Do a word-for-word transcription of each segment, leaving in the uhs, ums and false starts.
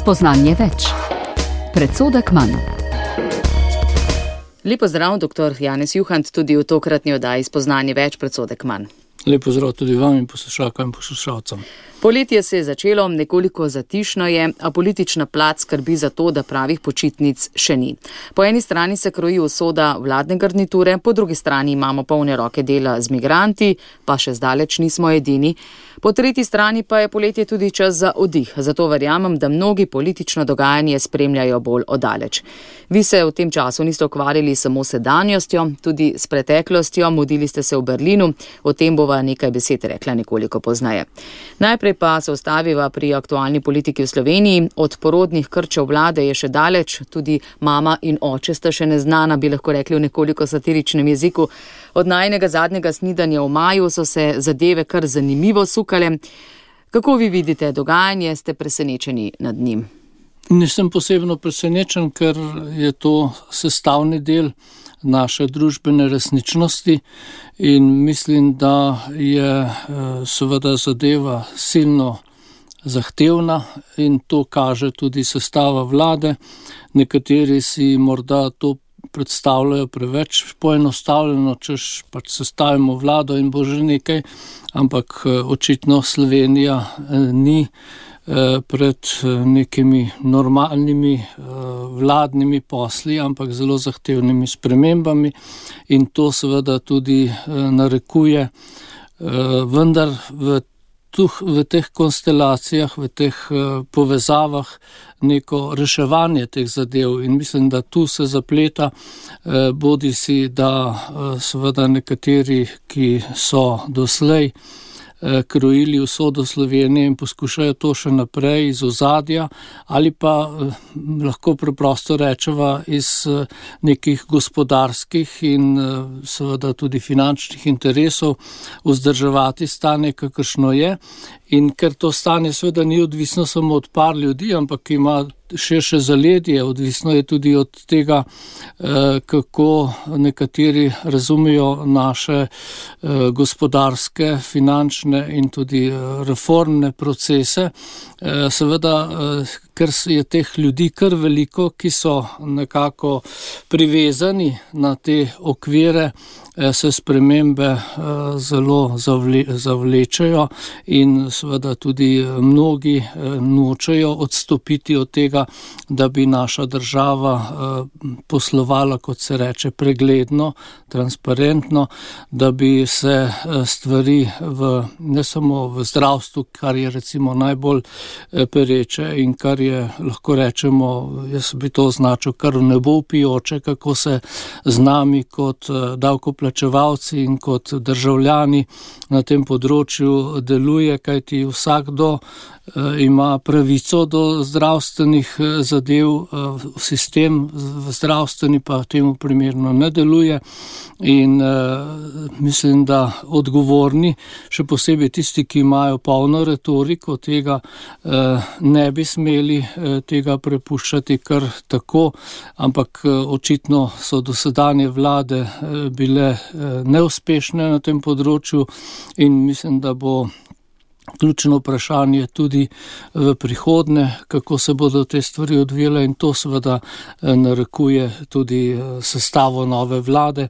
Spoznanje več. Predsodek manj. Lepo zdrav, doktor Janez Juhant, tudi v tokratni oddaji Spoznanje več, predsodek manj. Lepo zdrav tudi vam in poslušalkam in poslušalcem. Poletje se je začelo, nekoliko zatišno je, a politična plat skrbi za to, da pravih počitnic še ni. Po eni strani se kroji usoda vladne garniture, po drugi strani imamo polne roke dela z migranti, pa še zdaleč nismo edini. Po tretji strani pa je poletje tudi čas za oddih, zato verjamem, da mnogi politično dogajanje spremljajo bolj oddaleč. Vi se v tem času niste ukvarjali samo s sedanjostjo, tudi s preteklostjo, mudili ste se v Berlinu, o tem bova nekaj besed rekla nekoliko pozneje. Najprej pa se ustaviva pri aktualni politiki v Sloveniji. Od porodnih krčev vlade je še daleč, tudi mama in oče sta še neznana, bi lahko rekli v nekoliko satiričnem jeziku. Od najnega zadnjega snidanja v maju so se zadeve kar zanimivo sukale. Kako vi vidite dogajanje, ste presenečeni nad njim? Nisem posebno presenečen, ker je to sestavni del naše družbene resničnosti in mislim, da je seveda zadeva silno zahtevna in to kaže tudi sestava vlade. Nekateri si morda to predstavljajo preveč poenostavljeno, češ pač sestavimo vlado in bo že nekaj, ampak očitno Slovenija ni pred nekimi normalnimi vladnimi posli, ampak zelo zahtevnimi spremembami in to seveda tudi narekuje, vendar v, tuh, v teh konstelacijah, v teh povezavah neko reševanje teh zadev in mislim, da tu se zapleta bodi si, da seveda nekateri, ki so doslej krojili usodo Slovenije in poskušajo to še naprej iz ozadja ali pa lahko preprosto rečeva iz nekih gospodarskih in seveda tudi finančnih interesov vzdrževati stanje, kakršno je. In ker to stanje seveda ni odvisno samo od par ljudi, ampak ima širše zaledje, odvisno je tudi od tega, kako nekateri razumejo naše gospodarske, finančne in tudi reformne procese. Seveda, ker je teh ljudi kar veliko, ki so nekako privezani na te okvire, se spremembe zelo zavlečejo in seveda tudi mnogi nočejo odstopiti od tega, da bi naša država poslovala, kot se reče, pregledno, transparentno, da bi se stvari v, ne samo v zdravstvu, kar je recimo najbolj pereče in kar je, lahko rečemo, jaz bi to označil kar nebo vpijoče, kako se z nami kot davkoplačevalci in kot državljani na tem področju deluje, kajti vsakdo ima pravico do zdravstvenih zadev, sistem zdravstveni pa temu primerno ne deluje in mislim, da odgovorni, še posebej tisti, ki imajo polno retoriko tega, ne bi smeli tega prepuščati kar tako, ampak očitno so dosedanje vlade bile neuspešne na tem področju in mislim, da bo ključno vprašanje tudi v prihodnje, kako se bodo te stvari odvijale in to seveda narekuje tudi sestavo nove vlade.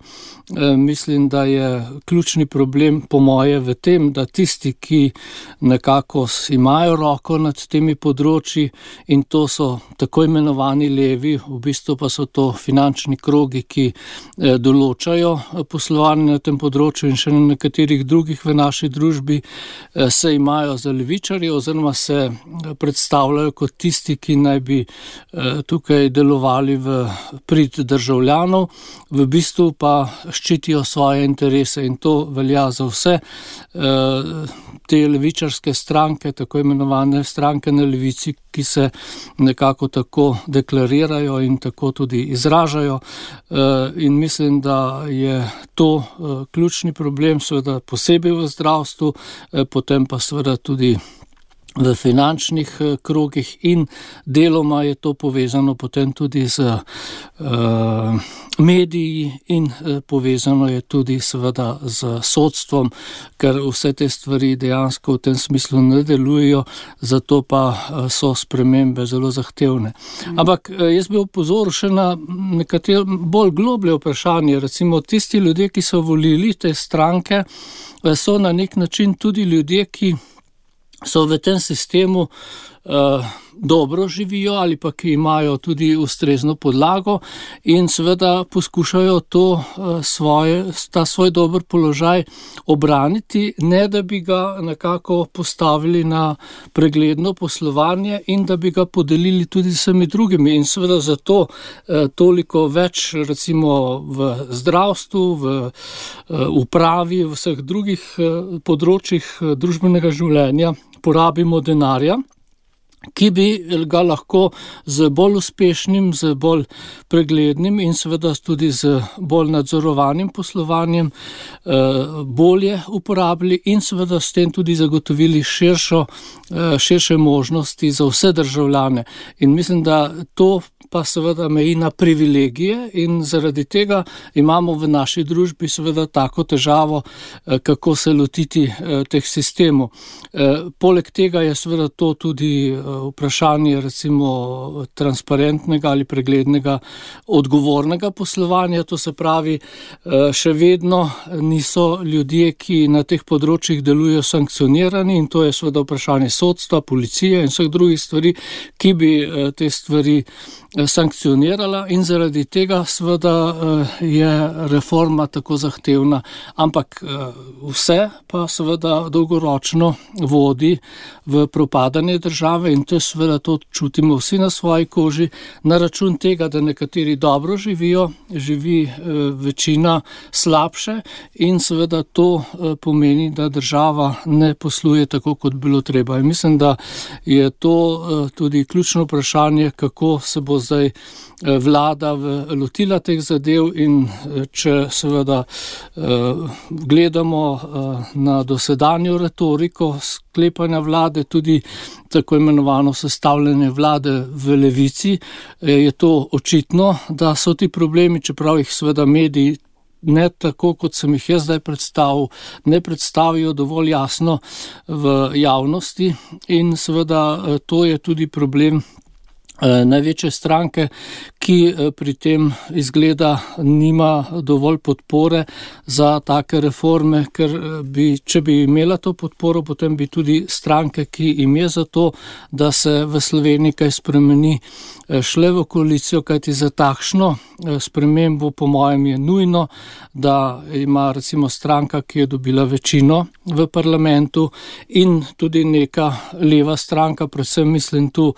Mislim, da je ključni problem po moje v tem, da tisti, ki nekako imajo roko nad temi področji in to so tako imenovani levi, v bistvu pa so to finančni krogi, ki določajo poslovanje na tem področju in še na nekaterih drugih v naši družbi, se imajo imajo za levičarje oziroma se predstavljajo kot tisti, ki naj bi tukaj delovali v prid državljanov, v bistvu pa ščitijo svoje interese in to velja za vse te levičarske stranke, tako imenovane stranke na levici, ki se nekako tako deklarirajo in tako tudi izražajo in mislim, da je to ključni problem, seveda posebej v zdravstvu, potem pa seveda tudi v finančnih krogih in deloma je to povezano potem tudi z uh, mediji in uh, povezano je tudi seveda z sodstvom, ker vse te stvari dejansko v tem smislu ne delujejo, zato pa uh, so spremembe zelo zahtevne. Mm. Ampak uh, jaz bi opozoril še na nekatere bolj globlje vprašanje, recimo tisti ljudje, ki so volili te stranke, uh, so na nek način tudi ljudje, ki so v tem sistemu uh, dobro živijo ali pa ki imajo tudi ustrezno podlago in seveda poskušajo to uh, svoje, ta svoj dober položaj obraniti, ne da bi ga nekako postavili na pregledno poslovanje in da bi ga podelili tudi s vsemi drugimi. In seveda zato uh, toliko več recimo v zdravstvu, v uh, upravi, v vseh drugih uh, področjih uh, družbenega življenja porabimo denarja, ki bi ga lahko z bolj uspešnim, z bolj preglednim in seveda tudi z bolj nadzorovanim poslovanjem bolje uporabili in seveda s tem tudi zagotovili širšo, širše možnosti za vse državljane. In mislim, da to pa seveda meji na privilegije in zaradi tega imamo v naši družbi seveda tako težavo, kako se lotiti teh sistemov. Poleg tega je seveda to tudi vprašanje recimo transparentnega ali preglednega odgovornega poslovanja, to se pravi, še vedno niso ljudje, ki na teh področjih delujejo sankcionirani in to je seveda vprašanje sodstva, policije in vseh drugih stvari, ki bi te stvari sankcionirala in zaradi tega seveda je reforma tako zahtevna, ampak vse pa seveda dolgoročno vodi v propadanje države in to seveda to čutimo vsi na svoji koži, na račun tega, da nekateri dobro živijo, živi večina slabše in seveda to pomeni, da država ne posluje tako, kot bilo treba. In mislim, da je to tudi ključno vprašanje, kako se bo zdaj vlada lotila teh zadev in če seveda gledamo na dosedanjo retoriko sklepanja vlade, tudi tako imenovano sestavljanje vlade v levici, je to očitno, da so ti problemi, čeprav jih seveda mediji ne tako, kot sem jih jaz zdaj predstavil, ne predstavijo dovolj jasno v javnosti in seveda to je tudi problem največje stranke, ki pri tem izgleda nima dovolj podpore za take reforme, ker bi, če bi imela to podporo, potem bi tudi stranke, ki im je za to, da se v Sloveniji kaj spremeni, šle v koalicijo, kajti za takšno spremembo po mojem je nujno, da ima recimo stranka, ki je dobila večino v parlamentu in tudi neka leva stranka, predvsem mislim tu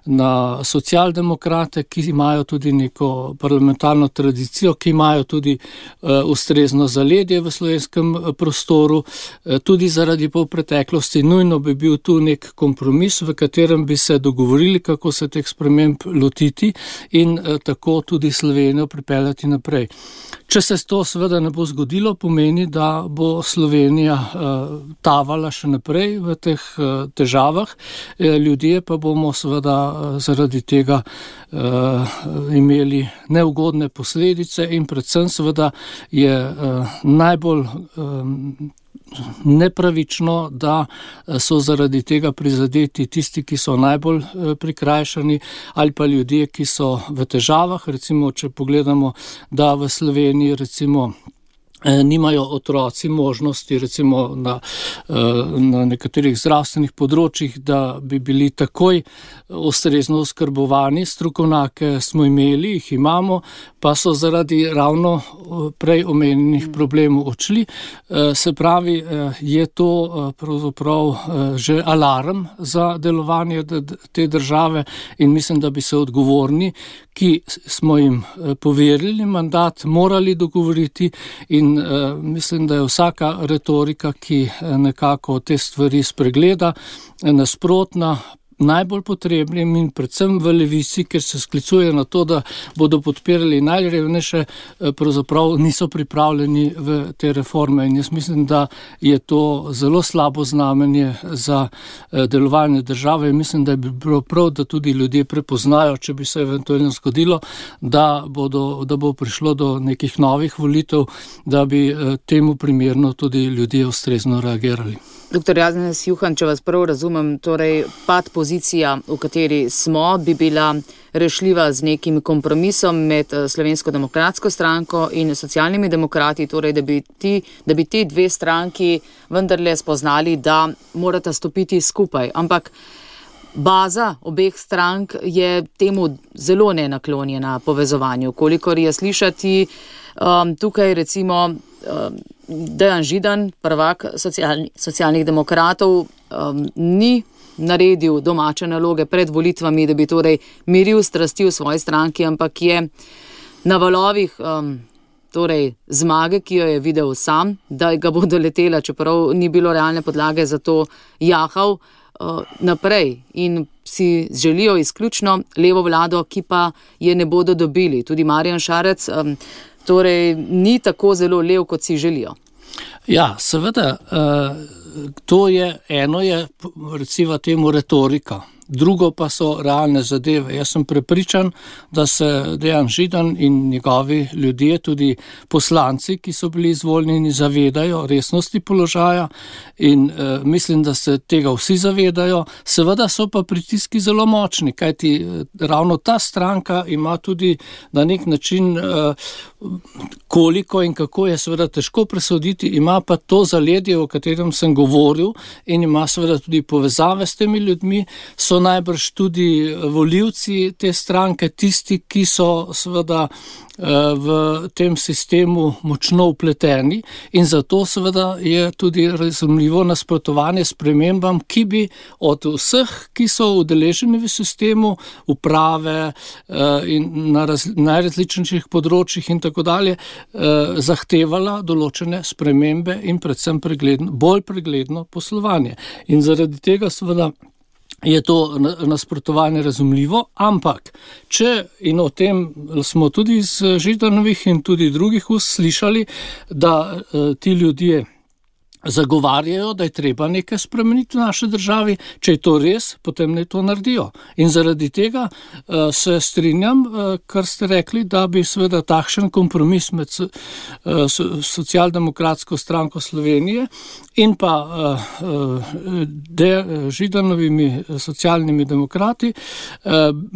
na socialdemokrate, ki imajo tudi neko parlamentarno tradicijo, ki imajo tudi uh, ustrezno zaledje v slovenskem prostoru, uh, tudi zaradi polpreteklosti. Nujno bi bil tu nek kompromis, v katerem bi se dogovorili, kako se teh sprememb lotiti in uh, tako tudi Slovenijo pripeljati naprej. Če se to seveda ne bo zgodilo, pomeni, da bo Slovenija uh, tavala še naprej v teh uh, težavah, uh, ljudje pa bomo seveda uh, zaradi tega uh, imeli neugodne posledice in predvsem seveda je uh, najbolj um, nepravično, da so zaradi tega prizadeti tisti, ki so najbolj prikrajšani ali pa ljudje, ki so v težavah. Recimo, če pogledamo, da v Sloveniji recimo nimajo otroci možnosti recimo na, na nekaterih zdravstvenih področjih, da bi bili takoj ustrezno oskrbovani. Strokovnjake smo imeli, jih imamo, pa so zaradi ravno prej omenjenih problemov odšli. Se pravi, je to pravzaprav že alarm za delovanje te države in mislim, da bi se odgovorni, ki smo jim poverili mandat, morali dogovoriti in uh, mislim, da je vsaka retorika, ki nekako te stvari spregleda, nasprotna, najbolj potrebnim in predvsem v Levici, ker se sklicuje na to, da bodo podpirali najrevnejše, pravzaprav niso pripravljeni v te reforme. In jaz mislim, da je to zelo slabo znamenje za delovanje države in mislim, da bi bilo prav, da tudi ljudje prepoznajo, če bi se eventualno zgodilo, da, bodo, da bo prišlo do nekih novih volitev, da bi temu primerno tudi ljudje ustrezno reagirali. Doktor Janez Juhan, če vas prav razumem, torej pad pozicija, v kateri smo, bi bila rešljiva z nekim kompromisom med Slovensko demokratsko stranko in socialnimi demokrati, torej da bi, ti, da bi ti dve stranki vendarle spoznali, da morata stopiti skupaj. Ampak baza obeh strank je temu zelo nenaklonjena povezovanju. Kolikor je slišati, um, tukaj recimo um, Dejan Židan, prvak socialni, socialnih demokratov, um, ni naredil domače naloge pred volitvami, da bi torej miril strasti v svoji stranki, ampak je na valovih um, torej zmage, ki jo je videl sam, da ga bo doletela, čeprav ni bilo realne podlage za to, jahal uh, naprej in si želijo izključno levo vlado, ki pa je ne bodo dobili. Tudi Marjan Šarec um, torej ni tako zelo lev, kot si želijo. Ja, seveda, to je, eno je recimo temu retorika, drugo pa so realne zadeve. Jaz sem prepričan, da se Dejan Židan in njegovi ljudje, tudi poslanci, ki so bili izvoljeni, zavedajo resnosti položaja in e, mislim, da se tega vsi zavedajo. Seveda so pa pritiski zelo močni, kajti e, ravno ta stranka ima tudi na nek način, e, koliko in kako je seveda težko presoditi, ima pa to zaledje, o katerem sem govoril in ima seveda tudi povezave s temi ljudmi, so najbrž tudi volivci te stranke, tisti, ki so seveda v tem sistemu močno vpleteni in zato seveda je tudi razumljivo nasprotovanje spremembam, ki bi od vseh, ki so udeleženi v sistemu, uprave in na raz, najrazličnejših področjih in tako dalje, zahtevala določene spremembe in predvsem pregledno, bolj pregledno poslovanje. In zaradi tega seveda je to nasprotovanje razumljivo, ampak če, in o tem smo tudi iz Židanovih in tudi drugih ust slišali, da ti ljudje zagovarjajo, da je treba nekaj spremeniti v naši državi, če je to res, potem ne to naredijo. In zaradi tega uh, se strinjam, uh, kar ste rekli, da bi seveda takšen kompromis med uh, so, socialdemokratsko stranko Slovenije in pa uh, de, Židanovimi socialnimi demokrati uh,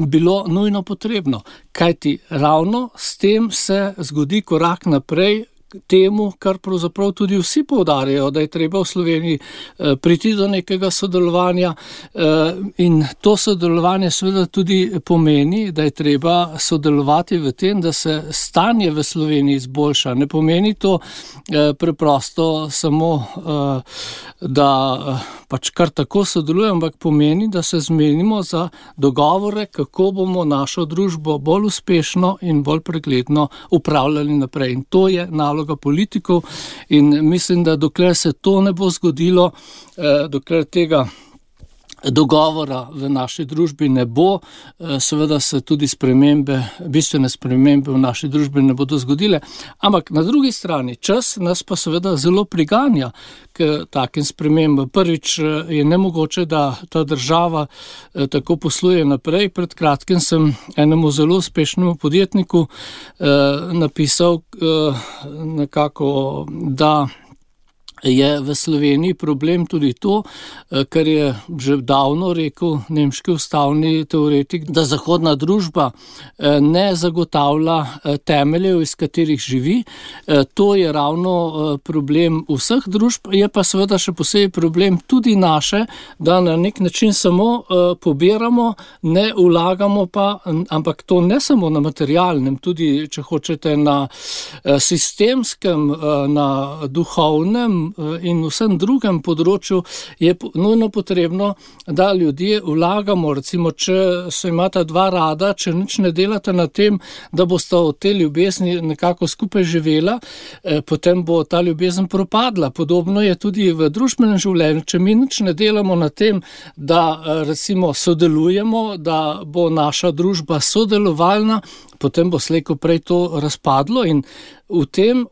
bilo nujno potrebno. Kajti ravno s tem se zgodi korak naprej temu, kar pravzaprav tudi vsi poudarjajo, da je treba v Sloveniji priti do nekega sodelovanja in to sodelovanje seveda tudi pomeni, da je treba sodelovati v tem, da se stanje v Sloveniji izboljša. Ne pomeni to preprosto samo, da pač kar tako sodelujemo, ampak pomeni, da se zmenimo za dogovore, kako bomo našo družbo bolj uspešno in bolj pregledno upravljali naprej. In to je naloga politikov in mislim, da dokler se to ne bo zgodilo, eh, dokler tega dogovora v naši družbi ne bo, eh, seveda se tudi spremembe, bistvene spremembe v naši družbi ne bodo zgodile. Ampak na drugi strani čas nas pa seveda zelo priganja k takim spremembam. Prvič je nemogoče, da ta država eh, tako posluje naprej. Pred kratkim sem enemu zelo uspešnemu podjetniku eh, napisal eh, nekako, da je v Sloveniji problem tudi to, kar je že davno rekel nemški ustavni teoretik, da zahodna družba ne zagotavlja temeljev, iz katerih živi. To je ravno problem vseh družb, je pa seveda še posebej problem tudi naše, da na nek način samo pobiramo, ne vlagamo pa, ampak to ne samo na materialnem, tudi, če hočete, na sistemskem, na duhovnem, medijskem in vsem drugem področju je nujno potrebno, da ljudje vlagamo, recimo, če se imata dva rada, če nič ne delate na tem, da bosta od te ljubezni nekako skupaj živela, potem bo ta ljubezen propadla. Podobno je tudi v družbenem življenju. Če mi nič ne delamo na tem, da recimo sodelujemo, da bo naša družba sodelovalna, potem bo slej ko prej to razpadlo in v tem,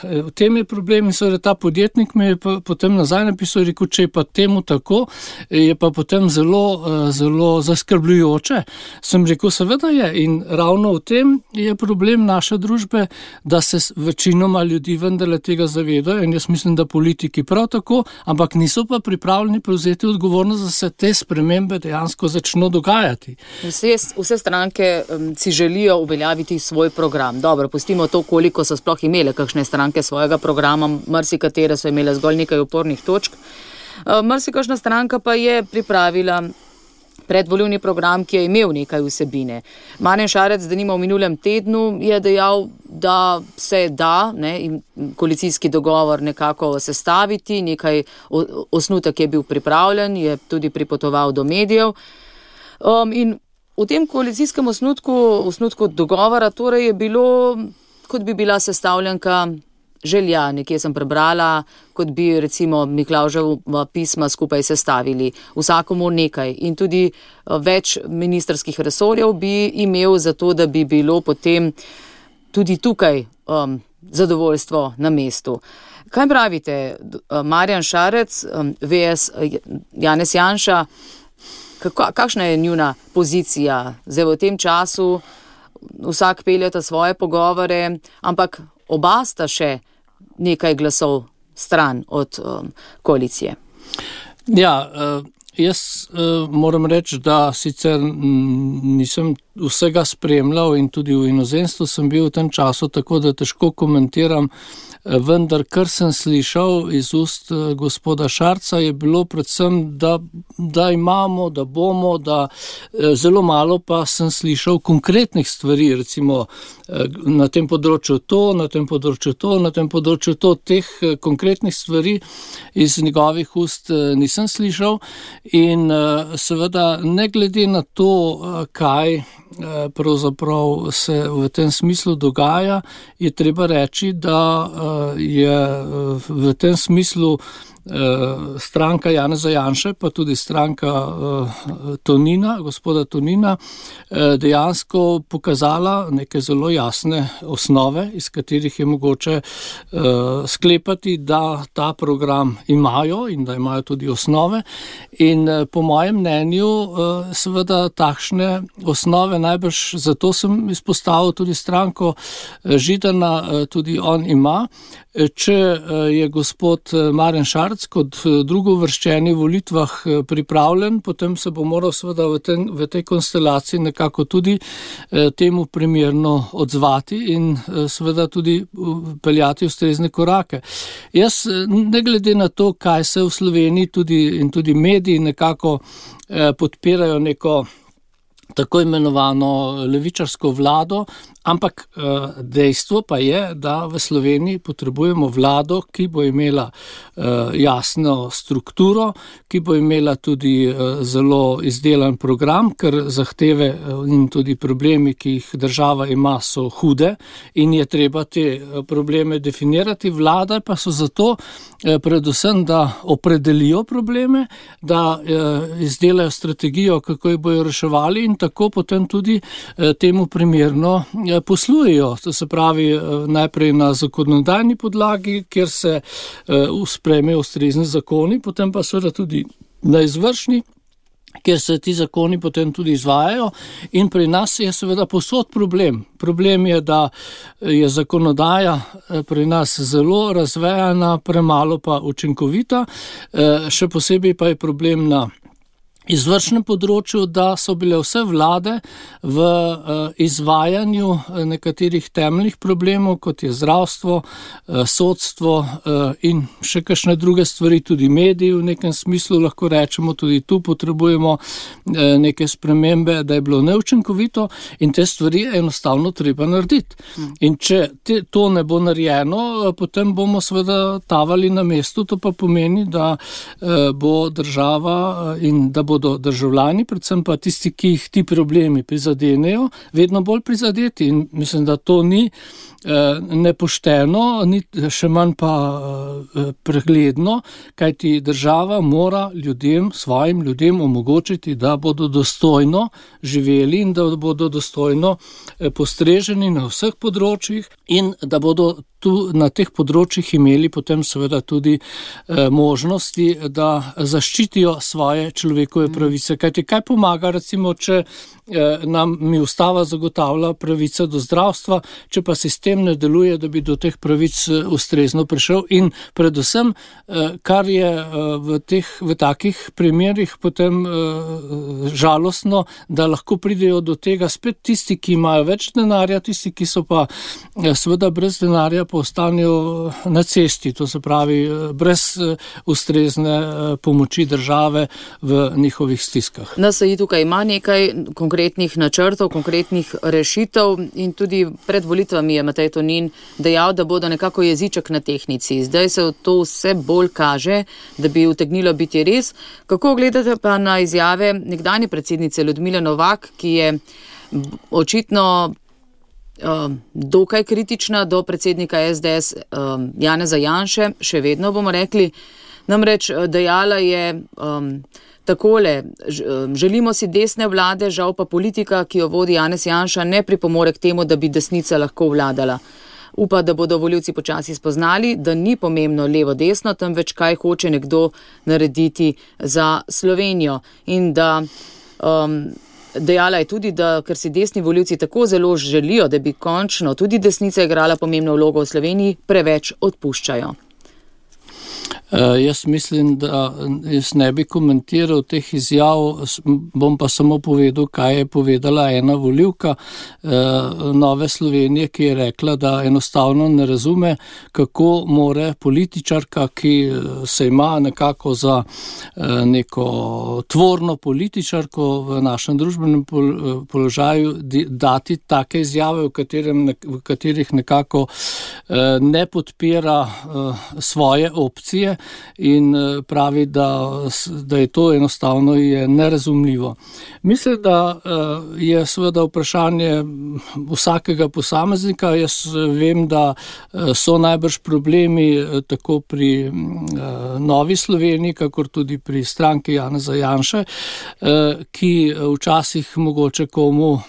v tem je problem in seveda ta podjetnik me je potem nazaj napisal, rekel, če je pa temu tako, je pa potem zelo, zelo zaskrbljujoče. Sem rekel, seveda je in ravno v tem je problem naše družbe, da se večinoma ljudi vendarle tega zavedajo in jaz mislim, da politiki prav tako, ampak niso pa pripravljeni prevzeti odgovornost, da se te spremembe dejansko začno dogajati. Vse, vse stranke um, si želijo uveljaviti svoj program. Dobro, pustimo to, koliko so sploh imele kakšne stranke svojega programa, marsikatere so imele zgolj nekaj opornih točk. Marsikašna stranka pa je pripravila predvolilni program, ki je imel nekaj vsebine. Marjan Šarec, denimo v minulem tednu, je dejal, da se da ne, in koalicijski dogovor nekako sestaviti, nekaj osnutek je bil pripravljen, je tudi pripotoval do medijev. Um, in v tem koalicijskem osnutku, osnutku dogovora torej je bilo, kot bi bila sestavljanka želja, nekje sem prebrala, kot bi recimo Miklavževa pisma skupaj sestavili, vsakomu nekaj in tudi več ministrskih resorjev bi imel za to, da bi bilo potem tudi tukaj um, zadovoljstvo na mestu. Kaj pravite, Marjan Šarec, um, versus Janez Janša, kako, kakšna je njuna pozicija? Zdaj v tem času vsak peljeta svoje pogovore, ampak oba sta še nekaj glasov stran od um, koalicije. Ja, uh, jaz uh, moram reči, da sicer m, nisem vsega spremljal in tudi v inozemstvu sem bil v tem času, tako da težko komentiram, vendar kar sem slišal iz ust gospoda Šarca je bilo predvsem, da, da imamo, da bomo, da zelo malo pa sem slišal konkretnih stvari, recimo na tem področju to, na tem področju to, na tem področju to, teh konkretnih stvari iz njegovih ust nisem slišal in seveda ne glede na to, kaj pravzaprav se v tem smislu dogaja, je treba reči, da je v tem smislu stranka Janeza Janše, pa tudi stranka Tonina, gospoda Tonina, dejansko pokazala neke zelo jasne osnove, iz katerih je mogoče sklepati, da ta program imajo in da imajo tudi osnove. In po mojem mnenju seveda takšne osnove najbrž, zato sem izpostavil tudi stranko Židana, tudi on ima. Če je gospod Marjan Šarec kot drugovrščeni v volitvah pripravljen, potem se bo moral seveda v, ten, v tej konstelaciji nekako tudi temu primerno odzvati in seveda tudi peljati ustrezne korake. Jaz ne glede na to, kaj se v Sloveniji tudi, in tudi mediji nekako podpirajo neko tako imenovano levičarsko vlado, ampak dejstvo pa je, da v Sloveniji potrebujemo vlado, ki bo imela jasno strukturo, ki bo imela tudi zelo izdelan program, ker zahteve in tudi problemi, ki jih država ima, so hude in je treba te probleme definirati. Vlada pa so zato predvsem, da opredelijo probleme, da izdelajo strategijo, kako jih bojo reševali in tako potem tudi temu primerno poslujejo, to se pravi najprej na zakonodajni podlagi, kjer se sprejmejo ustrezni zakoni, potem pa seveda tudi na izvršni, kjer se ti zakoni potem tudi izvajajo in pri nas je seveda povsod problem. Problem je, da je zakonodaja pri nas zelo razvejana, premalo pa učinkovita, še posebej pa je problem na izvršnem področju, da so bile vse vlade v uh, izvajanju nekaterih temeljnih problemov, kot je zdravstvo, uh, sodstvo uh, in še kakšne druge stvari, tudi mediji v nekem smislu, lahko rečemo, tudi tu potrebujemo uh, neke spremembe, da je bilo neučinkovito in te stvari je enostavno treba narediti. Hmm. In če te, to ne bo narejeno, uh, potem bomo seveda tavali na mestu, to pa pomeni, da uh, bo država uh, in da bo bodo državljani, predvsem pa tisti, ki jih ti problemi prizadenejo, vedno bolj prizadeti in mislim, da to ni eh, nepošteno, ni še manj pa eh, pregledno, kajti država mora ljudem, svojim ljudem omogočiti, da bodo dostojno živeli in da bodo dostojno eh, postreženi na vseh področjih in da bodo tu na teh področjih imeli potem seveda tudi eh, možnosti, da zaščitijo svoje človekove pravice. Kajti kaj pomaga, recimo, če eh, nam mi ustava zagotavlja pravice do zdravstva, če pa sistem ne deluje, da bi do teh pravic eh, ustrezno prišel in predvsem, eh, kar je eh, v teh, v takih primerih potem eh, žalostno, da lahko pridejo do tega spet tisti, ki imajo več denarja, tisti, ki so pa eh, seveda brez denarja ostanejo na cesti, to se pravi brez ustrezne pomoči države v njihovih stiskah. N S I tukaj ima nekaj konkretnih načrtov, konkretnih rešitev in tudi pred volitvami je Matej Tonin dejal, da bodo nekako jeziček na tehnici. Zdaj se to vse bolj kaže, da bi utegnilo biti res. Kako gledate pa na izjave nekdanje predsednice Ljudmile Novak, ki je očitno Um, dokaj kritična do predsednika S D S um, Janeza Janše, še vedno bomo rekli, namreč dejala je um, takole, želimo si desne vlade, žal pa politika, ki jo vodi Janez Janša, ne pripomore k temu, da bi desnica lahko vladala. Upa, da bodo volivci počasi spoznali, da ni pomembno levo-desno, temveč kaj hoče nekdo narediti za Slovenijo in da um, dejala je tudi, da ker si desni volivci tako zelo želijo, da bi končno tudi desnica igrala pomembno vlogo v Sloveniji, preveč odpuščajo. Uh, jaz mislim, da jaz ne bi komentiral teh izjav, bom pa samo povedal, kaj je povedala ena volivka uh, Nove Slovenije, ki je rekla, da enostavno ne razume, kako more političarka, ki se ima nekako za uh, neko tvorno političarko v našem družbenem pol, položaju, di, dati take izjave, v, katerem, v katerih nekako uh, ne podpira uh, svoje opcije in pravi, da, da je to enostavno je nerazumljivo. Mislim, da je seveda vprašanje vsakega posameznika. Jaz vem, da so najbrž problemi tako pri Novi Sloveniji, kakor tudi pri stranki Janeza Janše, ki včasih mogoče komu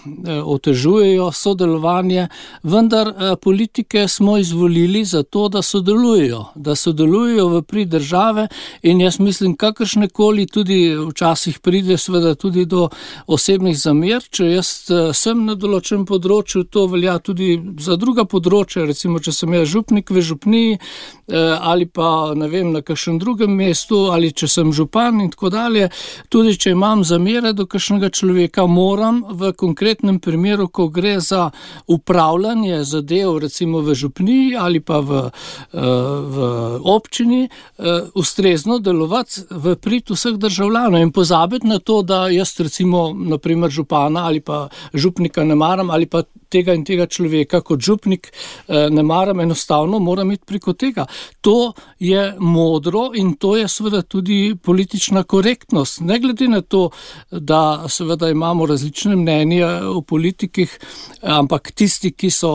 otežujejo sodelovanje, vendar politike smo izvolili za to, da sodelujejo, da sodelujejo v prid države in jaz mislim, kakršnekoli tudi včasih pride seveda tudi do osebnih zamer, če jaz sem na določenem področju, to velja tudi za druga področja, recimo, če sem jaz župnik v župniji ali pa, ne vem, na kakšnem drugem mestu ali če sem župan in tako dalje, tudi če imam zamere do kakšnega človeka, moram v konkretnem primeru, ko gre za upravljanje zadev, recimo v župniji ali pa v, v občini, ustrezno delovati v prid vseh državljanov in pozabiti na to, da jaz recimo naprimer župana ali pa župnika ne maram ali pa tega in tega človeka kot župnik ne maram, enostavno moram iti preko tega. To je modro in to je seveda tudi politična korektnost. Ne glede na to, da seveda imamo različne mnenja o politikih, ampak tisti, ki so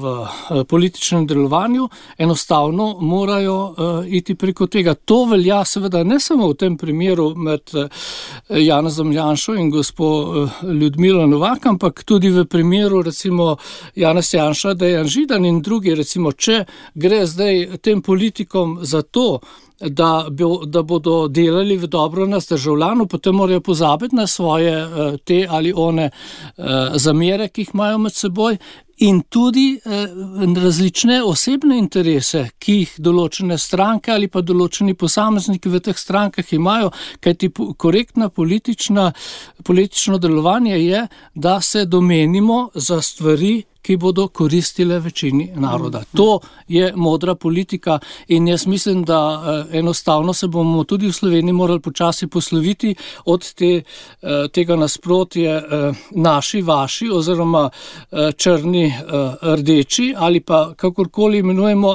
v političnem delovanju, enostavno morajo iti preko tega. To velja seveda ne samo v tem primeru med Janezom Janšo in gospo Ljudmilo Novak, ampak tudi v primeru recimo Janez Janša, Dejan Židan in drugi, recimo, če gre zdaj tem politikom za to, da, bo, da bodo delali v dobro nas državljanov, potem morajo pozabiti na svoje te ali one zamere, ki jih imajo med seboj, in tudi eh, različne osebne interese, ki jih določene stranke ali pa določeni posamezniki v teh strankah imajo, kajti korektna politična, politično delovanje je, da se domenimo za stvari, ki bodo koristile večini naroda. To je modra politika in jaz mislim, da eh, enostavno se bomo tudi v Sloveniji morali počasi posloviti od te, eh, tega nasprotje eh, naši, vaši oziroma eh, črni, eh, rdeči ali pa kakorkoli imenujemo,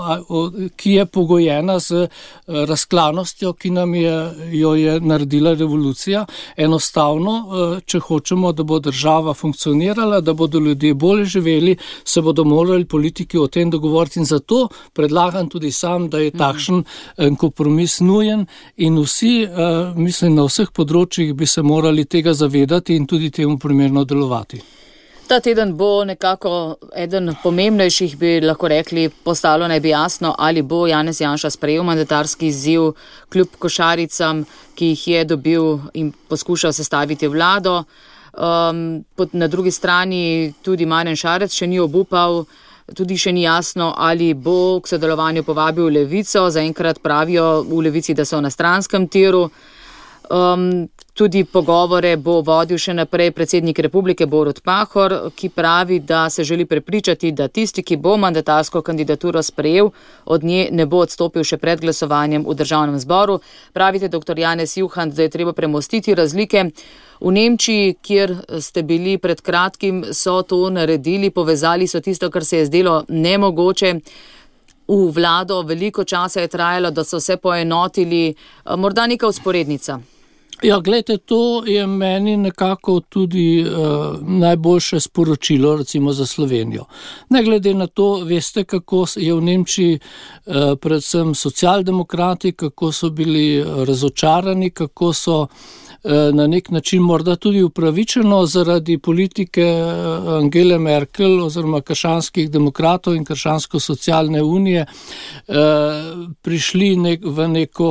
ki je pogojena z eh, razklanostjo, ki nam je, jo je naredila revolucija. Enostavno, eh, če hočemo, da bo država funkcionirala, da bodo ljudje bolje živeli, se bodo morali politiki o tem dogovoriti in zato predlagam tudi sam, da je takšen kompromis nujen in vsi, mislim, na vseh področjih bi se morali tega zavedati in tudi temu primerno delovati. Ta teden bo nekako eden pomembnejših, bi lahko rekli, postalo naj bi jasno, ali bo Janez Janša sprejel mandatarski izziv kljub košaricam, ki jih je dobil in poskušal sestaviti vlado. Um, na drugi strani tudi Marjan Šarec še ni obupal, tudi še ni jasno, ali bo k sodelovanju povabil Levico. Zaenkrat pravijo v Levici, da so na stranskem tiru. Um, tudi pogovore bo vodil še naprej predsednik Republike Borut Pahor, ki pravi, da se želi prepričati, da tisti, ki bo mandatarsko kandidaturo sprejel, od nje ne bo odstopil še pred glasovanjem v državnem zboru. Pravite, doktor Janez Juhant, da je treba premostiti razlike. V Nemčiji, kjer ste bili pred kratkim, so to naredili, povezali so tisto, kar se je zdelo nemogoče. V vlado veliko časa je trajalo, da so se poenotili. Morda neka vzporednica. Ja, gledajte, to je meni nekako tudi uh, najboljše sporočilo, recimo za Slovenijo. Ne glede na to, veste, kako je v Nemčiji uh, predvsem socialdemokrati, kako so bili razočarani, kako so na nek način morda tudi upravičeno zaradi politike Angele Merkel oziroma krščanskih demokratov in krščansko-socialne unije prišli nek, v neko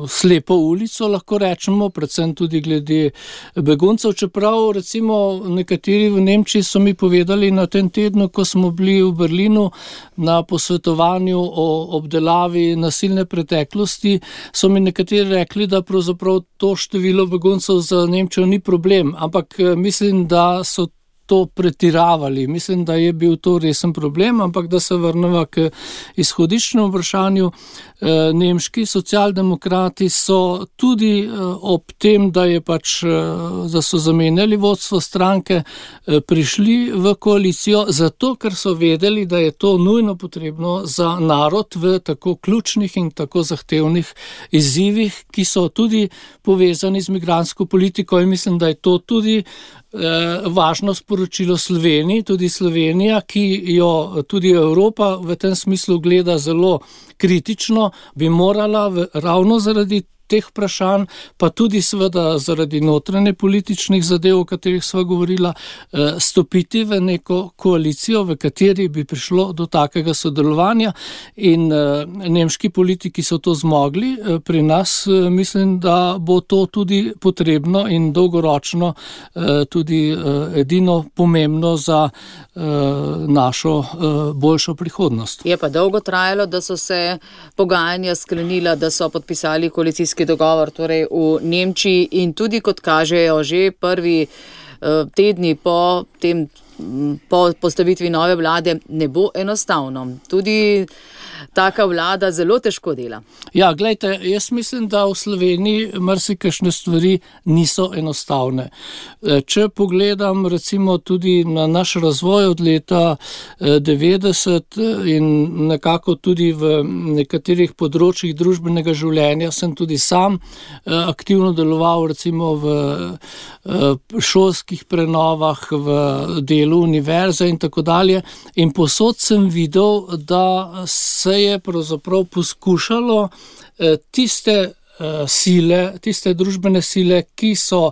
slepo ulico, lahko rečemo, predvsem tudi glede beguncev, čeprav recimo nekateri v Nemčiji so mi povedali na tem tednu, ko smo bili v Berlinu na posvetovanju o obdelavi nasilne preteklosti, so mi nekateri rekli, da pravzaprav to število beguncev za Nemčijo ni problem, ampak mislim, da so to pretiravali. Mislim, da je bil to resen problem, ampak da se vrnemo k izhodiščnemu vprašanju. Nemški socialdemokrati so tudi ob tem, da je pač, da so zamenjali vodstvo stranke, prišli v koalicijo, zato ker so vedeli, da je to nujno potrebno za narod v tako ključnih in tako zahtevnih izzivih, ki so tudi povezani z migrantsko politiko in mislim, da je to tudi važno sporočilo Sloveniji, tudi Slovenija, ki jo tudi Evropa v tem smislu gleda zelo kritično, bi morala v, ravno zaradi teh vprašanj, pa tudi seveda zaradi notranje političnih zadev, o katerih sva govorila, stopiti v neko koalicijo, v kateri bi prišlo do takega sodelovanja in nemški politiki so to zmogli. Pri nas mislim, da bo to tudi potrebno in dolgoročno tudi edino pomembno za našo boljšo prihodnost. Je pa dolgo trajalo, da so se pogajanja sklenila, da so podpisali koalicijski dogovor torej v Nemčiji in tudi, kot kažejo, že prvi uh, tedni po tem, po postavitvi nove vlade ne bo enostavno. Tudi taka vlada zelo težko dela. Ja, gledajte, jaz mislim, da v Sloveniji marsikakšne stvari niso enostavne. Če pogledam recimo tudi na naš razvoj od leta devetdeset in nekako tudi v nekaterih področjih družbenega življenja sem tudi sam aktivno deloval recimo v šolskih prenovah, v delu univerze in tako dalje. In posod sem videl, da se je pravzaprav poskušalo tiste sile, tiste družbene sile, ki so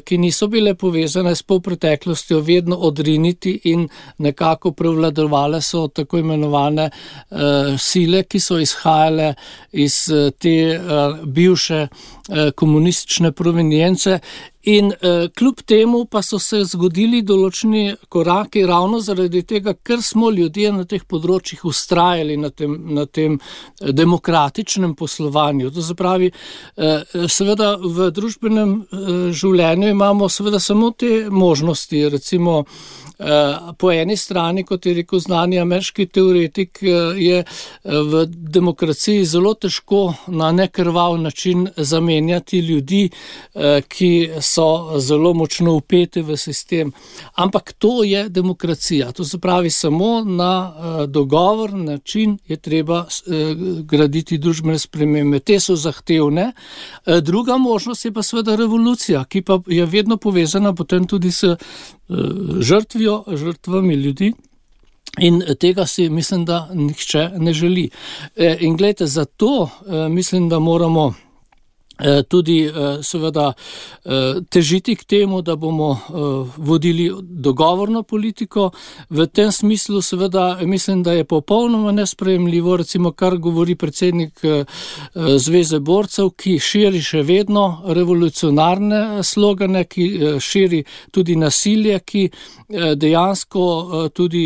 ki niso bile povezane s polpreteklostjo, vedno odriniti in nekako prevladovale so tako imenovane sile, ki so izhajale iz te bivše komunistične provenience. In eh, kljub temu pa so se zgodili določeni koraki ravno zaradi tega, ker smo ljudje na teh področjih ustrajali na tem, na tem demokratičnem poslovanju. To se pravi, eh, seveda v družbenem eh, življenju imamo seveda samo te možnosti, recimo eh, po eni strani, kot je rekel znani ameriški teoretik, eh, je v demokraciji zelo težko na nekrvav način zamenjati ljudi, eh, ki so zelo močno vpeti v sistem. Ampak to je demokracija. To se pravi, samo na uh, dogovor, način je treba uh, graditi družbene spremembe. Te so zahtevne. Uh, druga možnost je pa seveda revolucija, ki pa je vedno povezana potem tudi s uh, žrtvijo, žrtvami ljudi. In tega si mislim, da nihče ne želi. E, in gledajte, zato e, mislim, da moramo tudi seveda težiti k temu, da bomo vodili dogovorno politiko. V tem smislu seveda mislim, da je popolnoma nesprejemljivo, recimo kar govori predsednik Zveze borcev, ki širi še vedno revolucionarne slogane, ki širi tudi nasilje, ki dejansko tudi,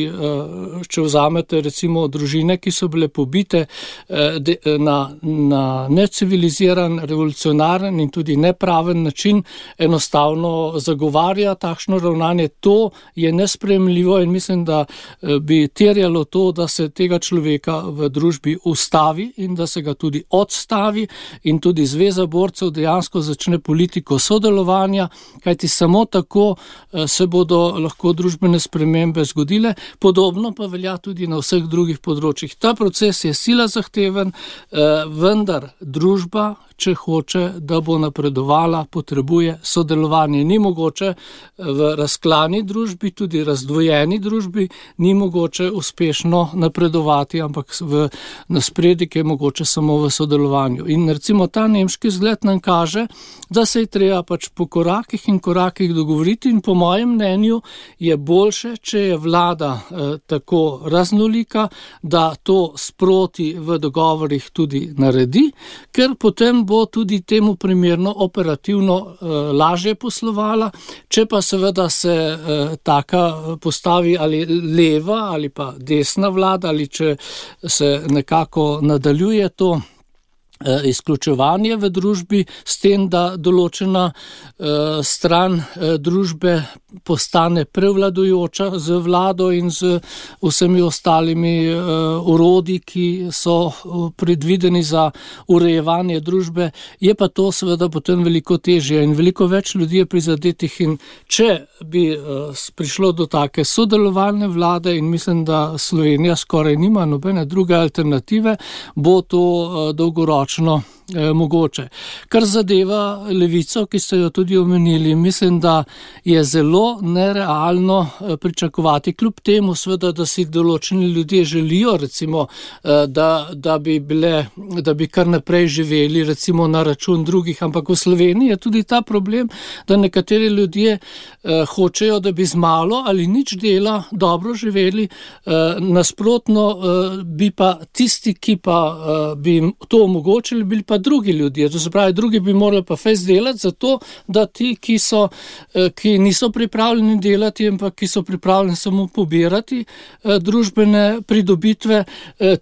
če vzamete recimo družine, ki so bile pobite na, na neciviliziran, revolucionarni in tudi nepraven način, enostavno zagovarja takšno ravnanje. To je nesprejemljivo in mislim, da bi terjalo to, da se tega človeka v družbi ustavi in da se ga tudi odstavi in tudi Zveza borcev dejansko začne politiko sodelovanja, kajti samo tako se bodo lahko družbene spremembe zgodile. Podobno pa velja tudi na vseh drugih področjih. Ta proces je sila zahteven, vendar družba, če hoče, da bo napredovala, potrebuje sodelovanje. Ni mogoče v razklani družbi, tudi razdvojeni družbi, ni mogoče uspešno napredovati, ampak v naspredek je mogoče samo v sodelovanju. In recimo ta nemški zgled nam kaže, da se je treba pač po korakih in korakih dogovoriti in po mojem mnenju je boljše, če je vlada eh, tako raznolika, da to sproti v dogovorih tudi naredi, ker potem bo tudi temu primerno operativno eh, lažje poslovala. Če pa seveda se eh, taka postavi ali leva ali pa desna vlada, ali če se nekako nadaljuje to izključevanje v družbi s tem, da določena uh, stran uh, družbe postane prevladujoča z vlado in z vsemi ostalimi uh, orodji, ki so uh, predvideni za urejevanje družbe, je pa to seveda potem veliko težje in veliko več ljudi je prizadetih. In če bi uh, prišlo do take sodelovalne vlade, in mislim, da Slovenija skoraj nima nobene druge alternative, bo to uh, dolgoročno Eh, mogoče. Kar zadeva levico, ki ste jo tudi omenili, mislim, da je zelo nerealno eh, pričakovati, kljub temu seveda, da si določeni ljudje želijo, recimo, eh, da, da bi bile, da bi kar naprej živeli, recimo na račun drugih, ampak v Sloveniji je tudi ta problem, da nekateri ljudje eh, hočejo, da bi z malo ali nič dela dobro živeli, eh, nasprotno eh, bi pa tisti, ki pa eh, bi to omogočili, bili pa drugi ljudje. To se pravi, drugi bi morali pa fejs delati zato, da ti, ki so, ki niso pripravljeni delati, ampak ki so pripravljeni samo pobirati družbene pridobitve,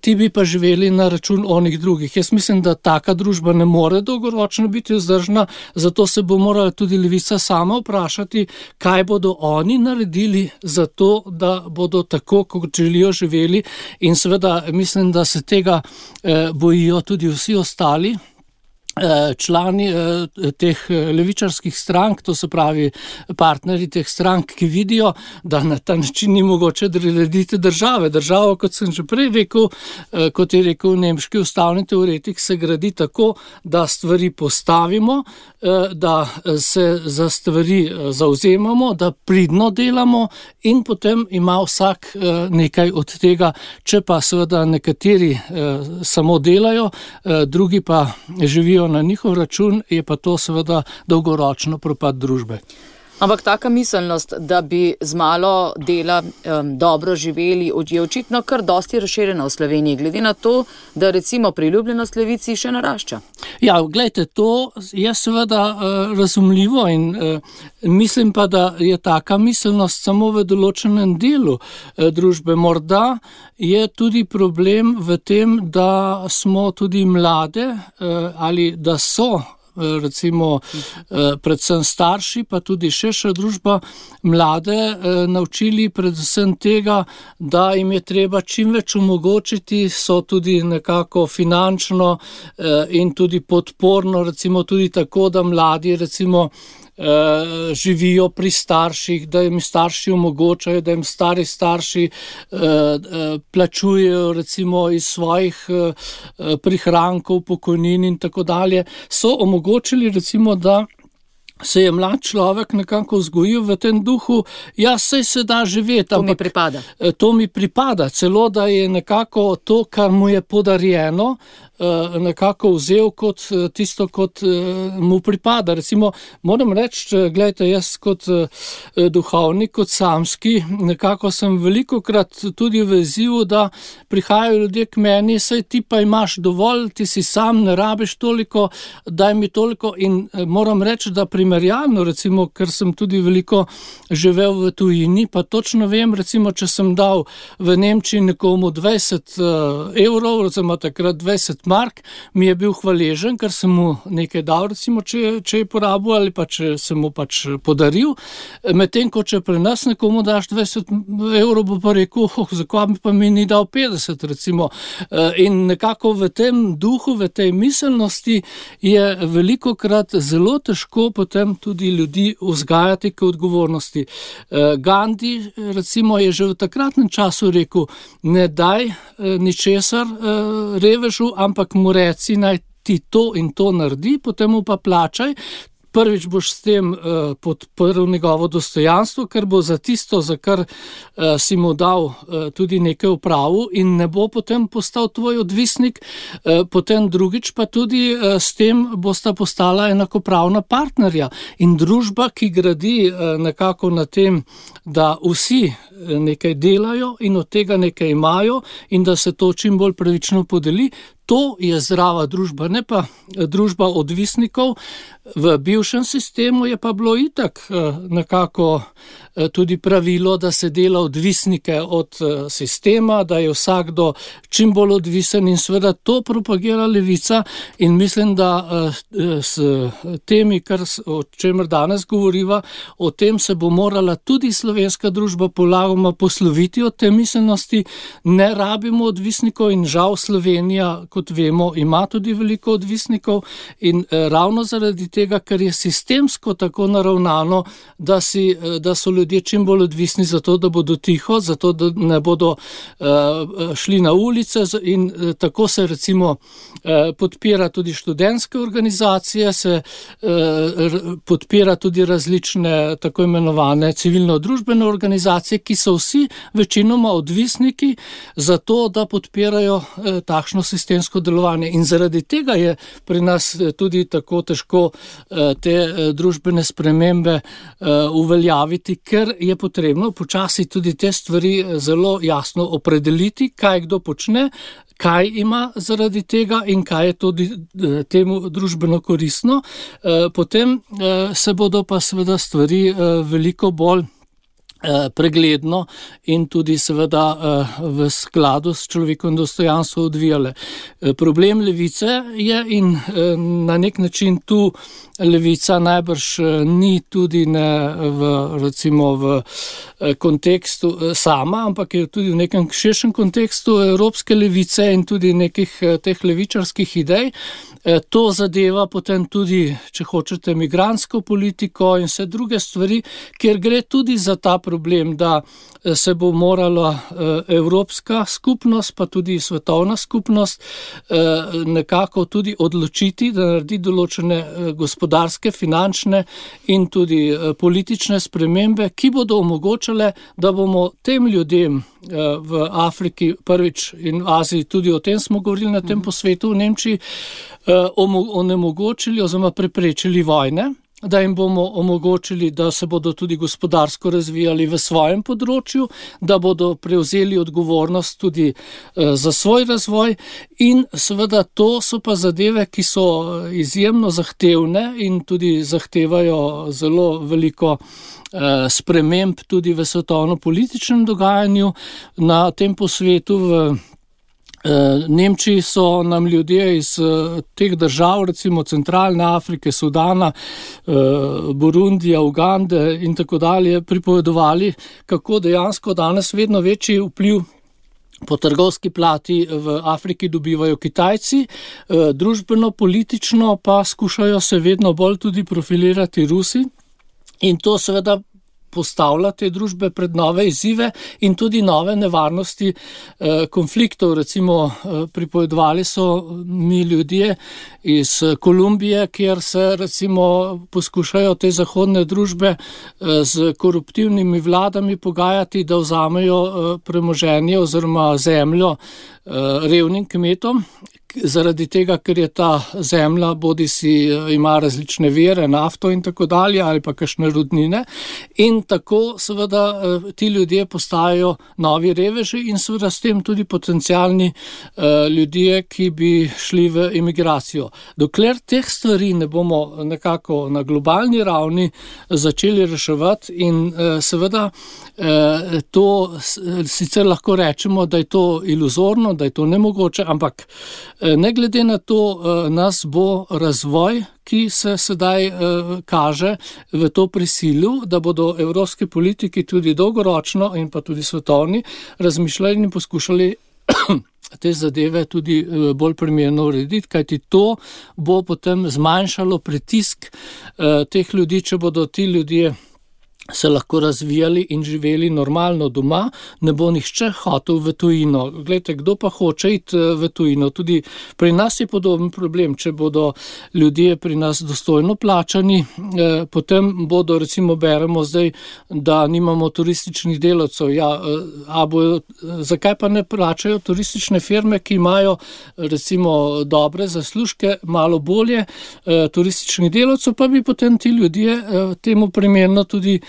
ti bi pa živeli na račun onih drugih. Jaz mislim, da taka družba ne more dolgoročno biti vzdržna, zato se bo morala tudi levica sama vprašati, kaj bodo oni naredili za to, da bodo tako, kot želijo živeli, in seveda mislim, da se tega bojijo tudi vsi ostali člani teh levičarskih strank, to se pravi partnerji teh strank, ki vidijo, da na ta način ni mogoče narediti države. Država, kot sem že prej rekel, kot je rekel nemški ustavni teoretik, se gradi tako, da stvari postavimo, da se za stvari zavzemamo, da pridno delamo in potem ima vsak nekaj od tega. Če pa seveda nekateri samo delajo, drugi pa živijo dobičkujejo na njihov račun, je pa to seveda dolgoročno propad družbe. Ampak taka miselnost, da bi z malo dela um, dobro živeli, je očitno kar dosti razširjena v Sloveniji, glede na to, da recimo priljubljenost levici še narašča. Ja, gledajte, to je seveda uh, razumljivo in uh, mislim pa, da je taka miselnost samo v določenem delu uh, družbe. Morda je tudi problem v tem, da smo tudi mlade uh, ali da so recimo predvsem starši, pa tudi širša družba mlade naučili predvsem tega, da jim je treba čim več omogočiti, so tudi nekako finančno in tudi podporno, recimo tudi tako, da mladi recimo Uh, živijo pri starših, da jim starši omogočajo, da jim stari starši uh, uh, plačujejo recimo iz svojih uh, prihrankov, pokojnin in tako dalje, so omogočili recimo, da se je mlad človek nekako vzgojil v tem duhu, ja, saj se da živeti. To mi pripada. To mi pripada, celo da je nekako to, kar mu je podarjeno, nekako vzel kot tisto, kot mu pripada. Recimo, moram reči, gledajte, jaz kot duhovnik, kot samski, nekako sem velikokrat tudi v izzivu, da prihajajo ljudje k meni, saj ti pa imaš dovolj, ti si sam, ne rabiš toliko, daj mi toliko in moram reči, da primerjalno, recimo, ker sem tudi veliko živel v tujini, pa točno vem, recimo, če sem dal v Nemčiji nekomu dvajset evrov, recimo takrat dvajset mark, mi je bil hvaležen, ker sem mu nekaj dal, recimo, če, če je porabil ali pa če sem mu pač podaril. Medtem, ko če pri nas nekomu daš dvajset evrov, bo pa rekel, oh, zakaj mi pa mi ni dal petdeset, recimo. In nekako v tem duhu, v tej miselnosti je velikokrat zelo težko potem tudi ljudi vzgajati k odgovornosti. Gandhi, recimo, je že v takratnem času rekel, ne daj ničesar revežu, ampak mu reci, naj ti to in to naredi, potem mu pa plačaj. Prvič boš s tem uh, podprl njegovo dostojanstvo, ker bo za tisto, za kar uh, si mu dal uh, tudi nekaj upravu in ne bo potem postal tvoj odvisnik, uh, potem drugič pa tudi uh, s tem bosta postala enakopravna partnerja. In družba, ki gradi uh, nekako na tem, da vsi nekaj delajo in od tega nekaj imajo in da se to čim bolj pravično podeli, to je zdrava družba, ne pa družba odvisnikov. V bivšem sistemu je pa bilo itak nekako tudi pravilo, da se dela odvisnike od sistema, da je vsakdo čim bolj odvisen in seveda to propagira levica in mislim, da s temi, kar, o čemer danes govoriva, o tem se bo morala tudi slovenska družba polagoma posloviti od te miselnosti. Ne rabimo odvisnikov in žal Slovenija, kot vemo, ima tudi veliko odvisnikov in ravno zaradi tega, ker je sistemsko tako naravnano, da, si, da so ljudje čim bolj odvisni zato, da bodo tiho, zato, da ne bodo uh, šli na ulice in uh, tako se recimo uh, podpira tudi študentske organizacije, se uh, podpira tudi različne tako imenovane civilno-družbene organizacije, ki so vsi večinoma odvisniki zato, da podpirajo uh, takšno sistemsko delovanje. In zaradi tega je pri nas tudi tako težko te družbene spremembe uveljaviti, ker je potrebno počasi tudi te stvari zelo jasno opredeliti, kaj kdo počne, kaj ima zaradi tega in kaj je tudi temu družbeno koristno. Potem se bodo pa seveda stvari veliko bolj pregledno in tudi seveda v skladu s človekovim dostojanstvom odvijale. Problem levice je in na nek način tu levica najbrž ni tudi ne v, recimo v kontekstu sama, ampak je tudi v nekem širšem kontekstu evropske levice in tudi nekih teh levičarskih idej. To zadeva potem tudi, če hočete, migrantsko politiko in vse druge stvari, kjer gre tudi za ta problem problem, da se bo morala evropska skupnost, pa tudi svetovna skupnost nekako tudi odločiti, da naredi določene gospodarske, finančne in tudi politične spremembe, ki bodo omogočale, da bomo tem ljudem v Afriki prvič in v Aziji, tudi o tem smo govorili na tem posvetu v Nemčiji, onemogočili oziroma preprečili vojne, da jim bomo omogočili, da se bodo tudi gospodarsko razvijali v svojem področju, da bodo prevzeli odgovornost tudi za svoj razvoj in seveda to so pa zadeve, ki so izjemno zahtevne in tudi zahtevajo zelo veliko sprememb tudi v svetovno-političnem dogajanju. Na tem posvetu v Nemčiji so nam ljudje iz teh držav, recimo Centralne Afrike, Sudana, Burundija, Ugande in tako dalje, pripovedovali, kako dejansko danes vedno večji vpliv po trgovski plati v Afriki dobivajo Kitajci, družbeno, politično pa skušajo se vedno bolj tudi profilirati Rusi in to seveda postavlja te družbe pred nove izzive in tudi nove nevarnosti eh, konfliktov. Recimo eh, pripovedovali so mi ljudje iz Kolumbije, kjer se recimo poskušajo te zahodne družbe eh, z koruptivnimi vladami pogajati, da vzamejo eh, premoženje oziroma zemljo eh, revnim kmetom, zaradi tega, ker je ta zemlja bodi si ima različne vire, nafto in tako dalje, ali pa kakšne rudnine. In tako seveda ti ljudje postajajo novi reveži in seveda s tem tudi potencialni ljudje, ki bi šli v emigracijo. Dokler teh stvari ne bomo nekako na globalni ravni začeli reševati in seveda to sicer lahko rečemo, da je to iluzorno, da je to nemogoče, ampak ne glede na to nas bo razvoj, ki se sedaj kaže v to prisilil, da bodo evropski politiki tudi dolgoročno in pa tudi svetovni razmišljali in poskušali te zadeve tudi bolj primerno urediti, kajti to bo potem zmanjšalo pritisk teh ljudi, če bodo ti ljudje se lahko razvijali in živeli normalno doma, ne bo nihče hotel v tujino. Glejte, kdo pa hoče iti v tujino? Tudi pri nas je podoben problem. Če bodo ljudje pri nas dostojno plačani, eh, potem bodo, recimo beremo zdaj, da nimamo turističnih delavcev. Ja, a bojo, zakaj pa ne plačajo turistične firme, ki imajo recimo dobre zaslužke, malo bolje eh, turističnih delavcev, pa bi potem ti ljudje eh, temu primerno tudi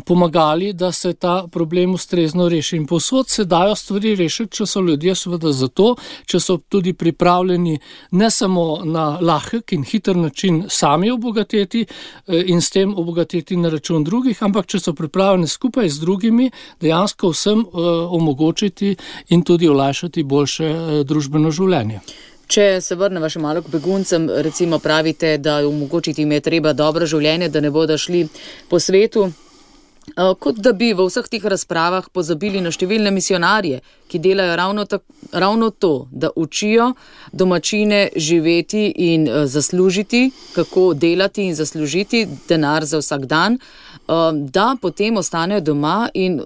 pomagali, da se ta problem ustrezno reši. In povsod se dajo stvari rešiti, če so ljudje seveda za to, če so tudi pripravljeni ne samo na lahek in hiter način sami obogateti in s tem obogateti na račun drugih, ampak če so pripravljeni skupaj z drugimi dejansko vsem omogočiti in tudi olajšati boljše družbeno življenje. Če se vrnemo še malo k beguncem, recimo pravite, da omogočiti jim je treba dobro življenje, da ne bodo šli po svetu, kot da bi v vseh teh razpravah pozabili na številne misionarje, ki delajo ravno, tak, ravno to, da učijo domačine živeti in zaslužiti, kako delati in zaslužiti denar za vsak dan, da potem ostanejo doma in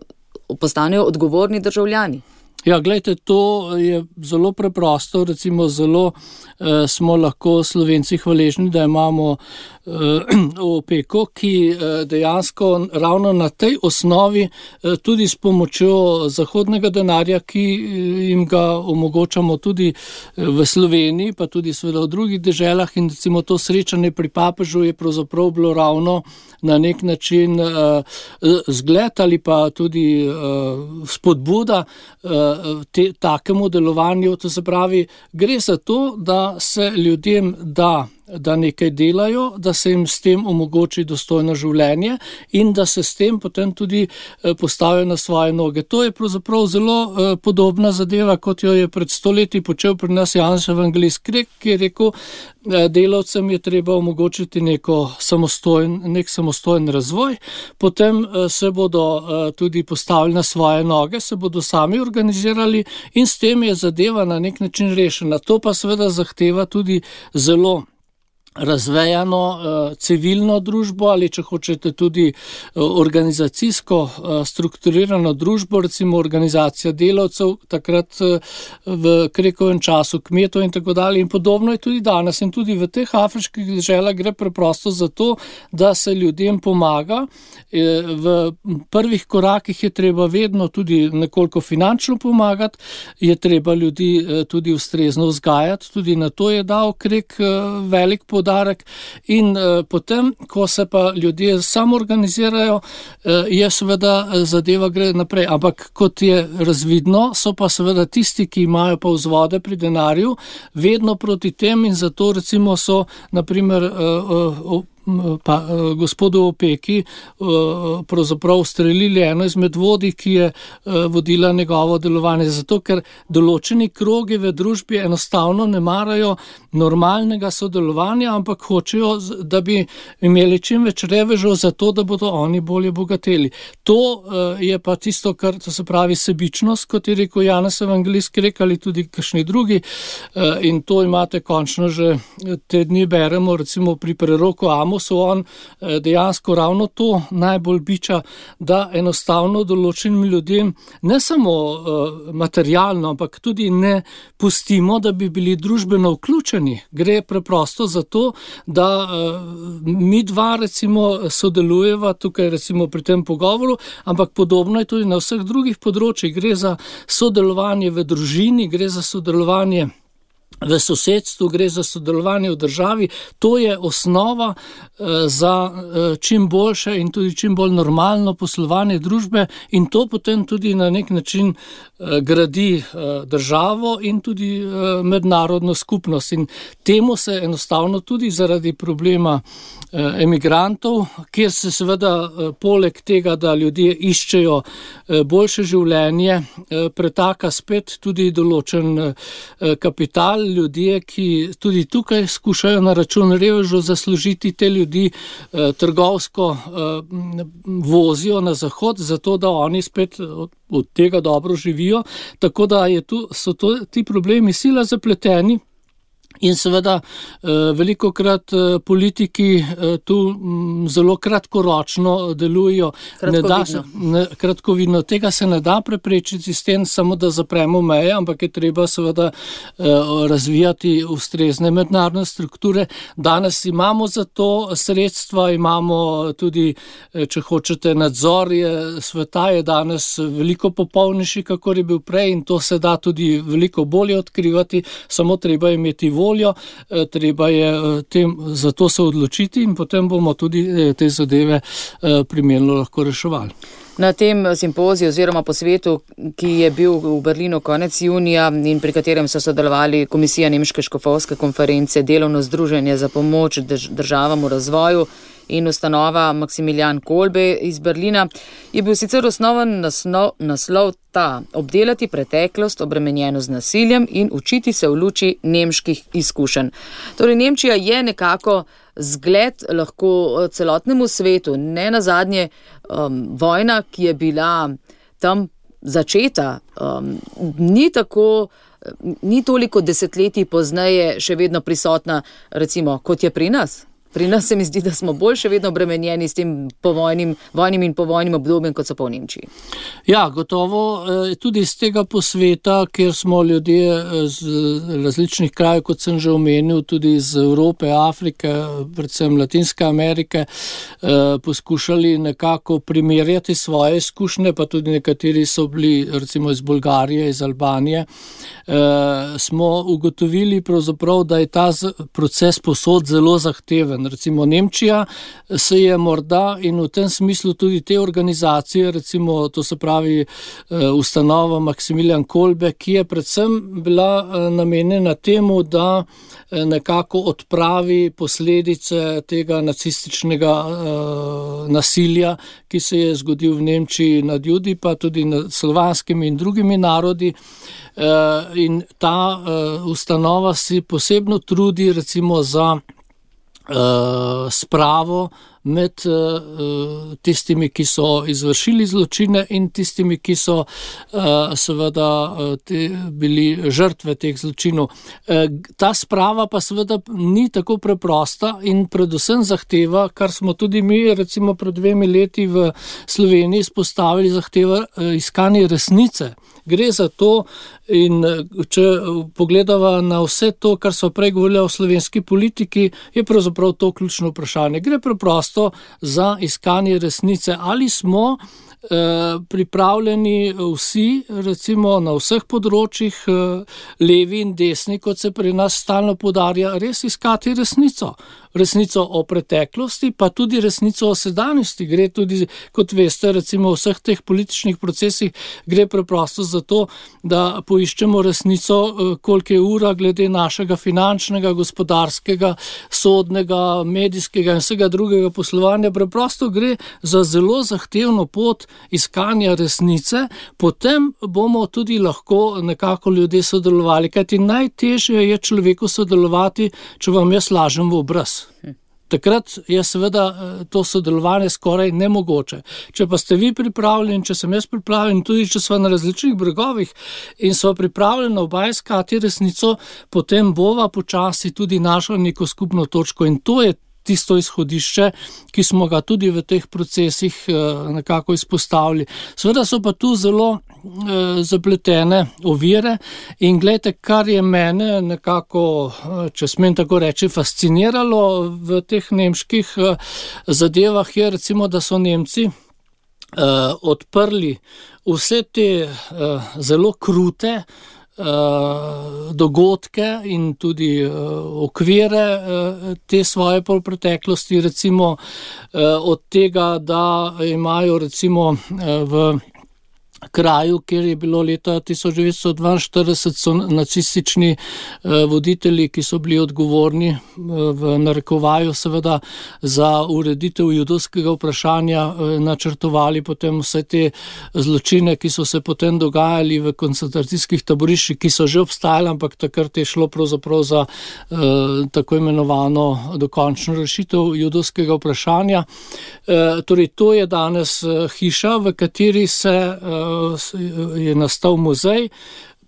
postanejo odgovorni državljani. Ja, gledajte, to je zelo preprosto, recimo zelo eh, smo lahko Slovenci hvaležni, da imamo eh, opeko, ki eh, dejansko ravno na tej osnovi eh, tudi s pomočjo zahodnega denarja, ki jim ga omogočamo tudi v Sloveniji, pa tudi seveda v drugih deželah in recimo to srečanje pri papežu je pravzaprav bilo ravno na nek način uh, zgled ali pa tudi uh, spodbuda uh, te, takemu delovanju. To se pravi, gre za to, da se ljudem da da nekaj delajo, da se jim s tem omogoči dostojno življenje in da se s tem potem tudi postavijo na svoje noge. To je pravzaprav zelo podobna zadeva, kot jo je pred stoletji počel pri nas Janez Evangelist Krek, ki je rekel, delavcem je treba omogočiti neko samostojen, nek samostojen razvoj, potem se bodo tudi postavili na svoje noge, se bodo sami organizirali in s tem je zadeva na nek način rešena. To pa seveda zahteva tudi zelo razvejano uh, civilno družbo ali, če hočete, tudi uh, organizacijsko uh, strukturirano družbo, recimo organizacija delavcev, takrat uh, v Krekovem času kmetov in tako dalje. In podobno je tudi danes. In tudi v teh afriških deželah gre preprosto za to, da se ljudem pomaga. V prvih korakih je treba vedno tudi nekoliko finančno pomagati, je treba ljudi tudi ustrezno vzgajati, tudi na to je dal Krek velik podarek. In uh, potem, ko se pa ljudje samoorganizirajo, uh, je seveda zadeva gre naprej. Ampak kot je razvidno, so pa seveda tisti, ki imajo pa vzvode pri denarju, vedno proti tem in zato recimo so, naprimer, uh, uh, pa uh, gospodu Opeki uh, pravzaprav ustrelili eno izmed vodij, ki je uh, vodila njegovo delovanje. Zato, ker določeni krogi v družbi enostavno ne marajo normalnega sodelovanja, ampak hočejo, da bi imeli čim več revežev za to, da bodo oni bolje bogateli. To uh, je pa tisto, kar to se pravi sebičnost, kot je rekel Janez Evangelist, rekali tudi kakšni drugi uh, in to imate končno že te dni beremo, recimo pri preroku Amosu, on uh, dejansko ravno to najbolj biča, da enostavno določenim ljudem ne samo uh, materialno, ampak tudi ne pustimo, da bi bili družbeno vključeni. Gre preprosto za to, da uh, mi dva recimo sodelujeva tukaj recimo pri tem pogovoru, ampak podobno je tudi na vseh drugih področjih. Gre za sodelovanje v družini, gre za sodelovanje v sosedstvu, gre za sodelovanje v državi. To je osnova uh, za uh, čim boljše in tudi čim bolj normalno poslovanje družbe in to potem tudi na nek način uh, gradi uh, državo in tudi uh, mednarodno skupnost. In temu se enostavno tudi zaradi problema uh, emigrantov, kjer se seveda uh, poleg tega, da ljudje iščejo uh, boljše življenje, uh, pretaka spet tudi določen uh, kapital, ljudje, ki tudi tukaj skušajo na račun revežev zaslužiti, te ljudi eh, trgovsko eh, vozijo na zahod, zato da oni spet od, od tega dobro živijo. Tako da je tu, so to, ti problemi sila zapleteni. In seveda velikokrat politiki tu zelo kratkoročno delujejo. Kratkovidno. Ne da, kratkovidno. Tega se ne da preprečiti s tem, samo da zapremo meje, ampak je treba seveda razvijati ustrezne mednarodne strukture. Danes imamo za to sredstva, imamo tudi, če hočete, nadzor je, sveta je danes veliko popolnejši, kakor je bil prej in to se da tudi veliko bolje odkrivati, samo treba imeti voljo. Treba je tem, za to se odločiti in potem bomo tudi te zadeve primerno lahko reševali. Na tem simpoziju oziroma posvetu, ki je bil v Berlinu konec junija in pri katerem so sodelovali Komisija Nemške škofovske konference, Delovno združenje za pomoč državam v razvoju in ustanova Maksimilijan Kolbe iz Berlina, je bil sicer osnoven naslov, naslov ta: obdelati preteklost obremenjeno z nasiljem in učiti se v luči nemških izkušenj. Torej, Nemčija je nekako zgled lahko celotnemu svetu, ne nazadnje um, vojna, ki je bila tam začeta, um, ni tako, ni toliko desetletij pozneje še vedno prisotna, recimo, kot je pri nas. Pri nas se mi zdi, da smo bolj še vedno obremenjeni s tem povojnim, vojnim in povojnim obdobjem, kot so pa v Nemčiji. Ja, gotovo. Tudi iz tega posveta, kjer smo ljudje z različnih krajev, kot sem že omenil, tudi iz Evrope, Afrike, predvsem Latinske Amerike, poskušali nekako primerjati svoje izkušnje, pa tudi nekateri so bili recimo iz Bolgarije, iz Albanije, smo ugotovili pravzaprav, da je ta proces posod zelo zahteven. Recimo Nemčija se je morda in v tem smislu tudi te organizacije, recimo to se pravi ustanova Maksimilijan Kolbe, ki je predvsem bila namenjena temu, da nekako odpravi posledice tega nacističnega uh, nasilja, ki se je zgodil v Nemčiji nad Judi, pa tudi nad slovanskimi in drugimi narodi. Uh, in ta uh, ustanova si posebno trudi recimo za Uh, spravo med uh, tistimi, ki so izvršili zločine in tistimi, ki so uh, seveda uh, te, bili žrtve teh zločinov. Uh, ta sprava pa seveda ni tako preprosta in predvsem zahteva, kar smo tudi mi recimo pred dvemi leti v Sloveniji izpostavili, zahteva uh, iskanje resnice. Gre za to in če pogledava na vse to, kar so prej govorili o slovenski politiki, je pravzaprav to ključno vprašanje. Gre preprosto za iskanje resnice. Ali smo eh, pripravljeni vsi, recimo na vseh področjih, eh, levi in desni, kot se pri nas stalno poudarja, res iskati resnico. Resnico o preteklosti, pa tudi resnico o sedanjosti. Gre tudi, kot veste, recimo v vseh teh političnih procesih gre preprosto za to, da poiščemo resnico, koliko je ura glede našega finančnega, gospodarskega, sodnega, medijskega in vsega drugega poslovanja. Preprosto gre za zelo zahtevno pot iskanja resnice, potem bomo tudi lahko nekako ljudje sodelovali, kajti najtežje je človeku sodelovati, če vam jaz lažem v obraz. Takrat je seveda to sodelovanje skoraj nemogoče. Če pa ste vi pripravljeni, če sem jaz pripravljen, tudi če smo na različnih bregovih in smo pripravljeni oba iskati resnico, potem bova počasi tudi našla neko skupno točko in to je tisto izhodišče, ki smo ga tudi v teh procesih nekako izpostavili. Seveda so pa tu zelo zapletene ovire in gledajte, kar je mene nekako, če smem tako reči, fasciniralo v teh nemških zadevah je recimo, da so Nemci odprli vse te zelo krute dogodke in tudi okvire te svoje preteklosti, recimo od tega, da imajo recimo v kraju, kjer je bilo leta tisoč devetsto dvainštirideset, so nacistični voditelji, ki so bili odgovorni v narekovaju seveda za ureditev judovskega vprašanja, načrtovali potem vse te zločine, ki so se potem dogajali v koncentracijskih taboriščih, ki so že obstajali, ampak takrat je šlo pravzaprav za eh, tako imenovano dokončno rešitev judovskega vprašanja. Eh, torej, to je danes hiša, v kateri se eh, je nastal muzej.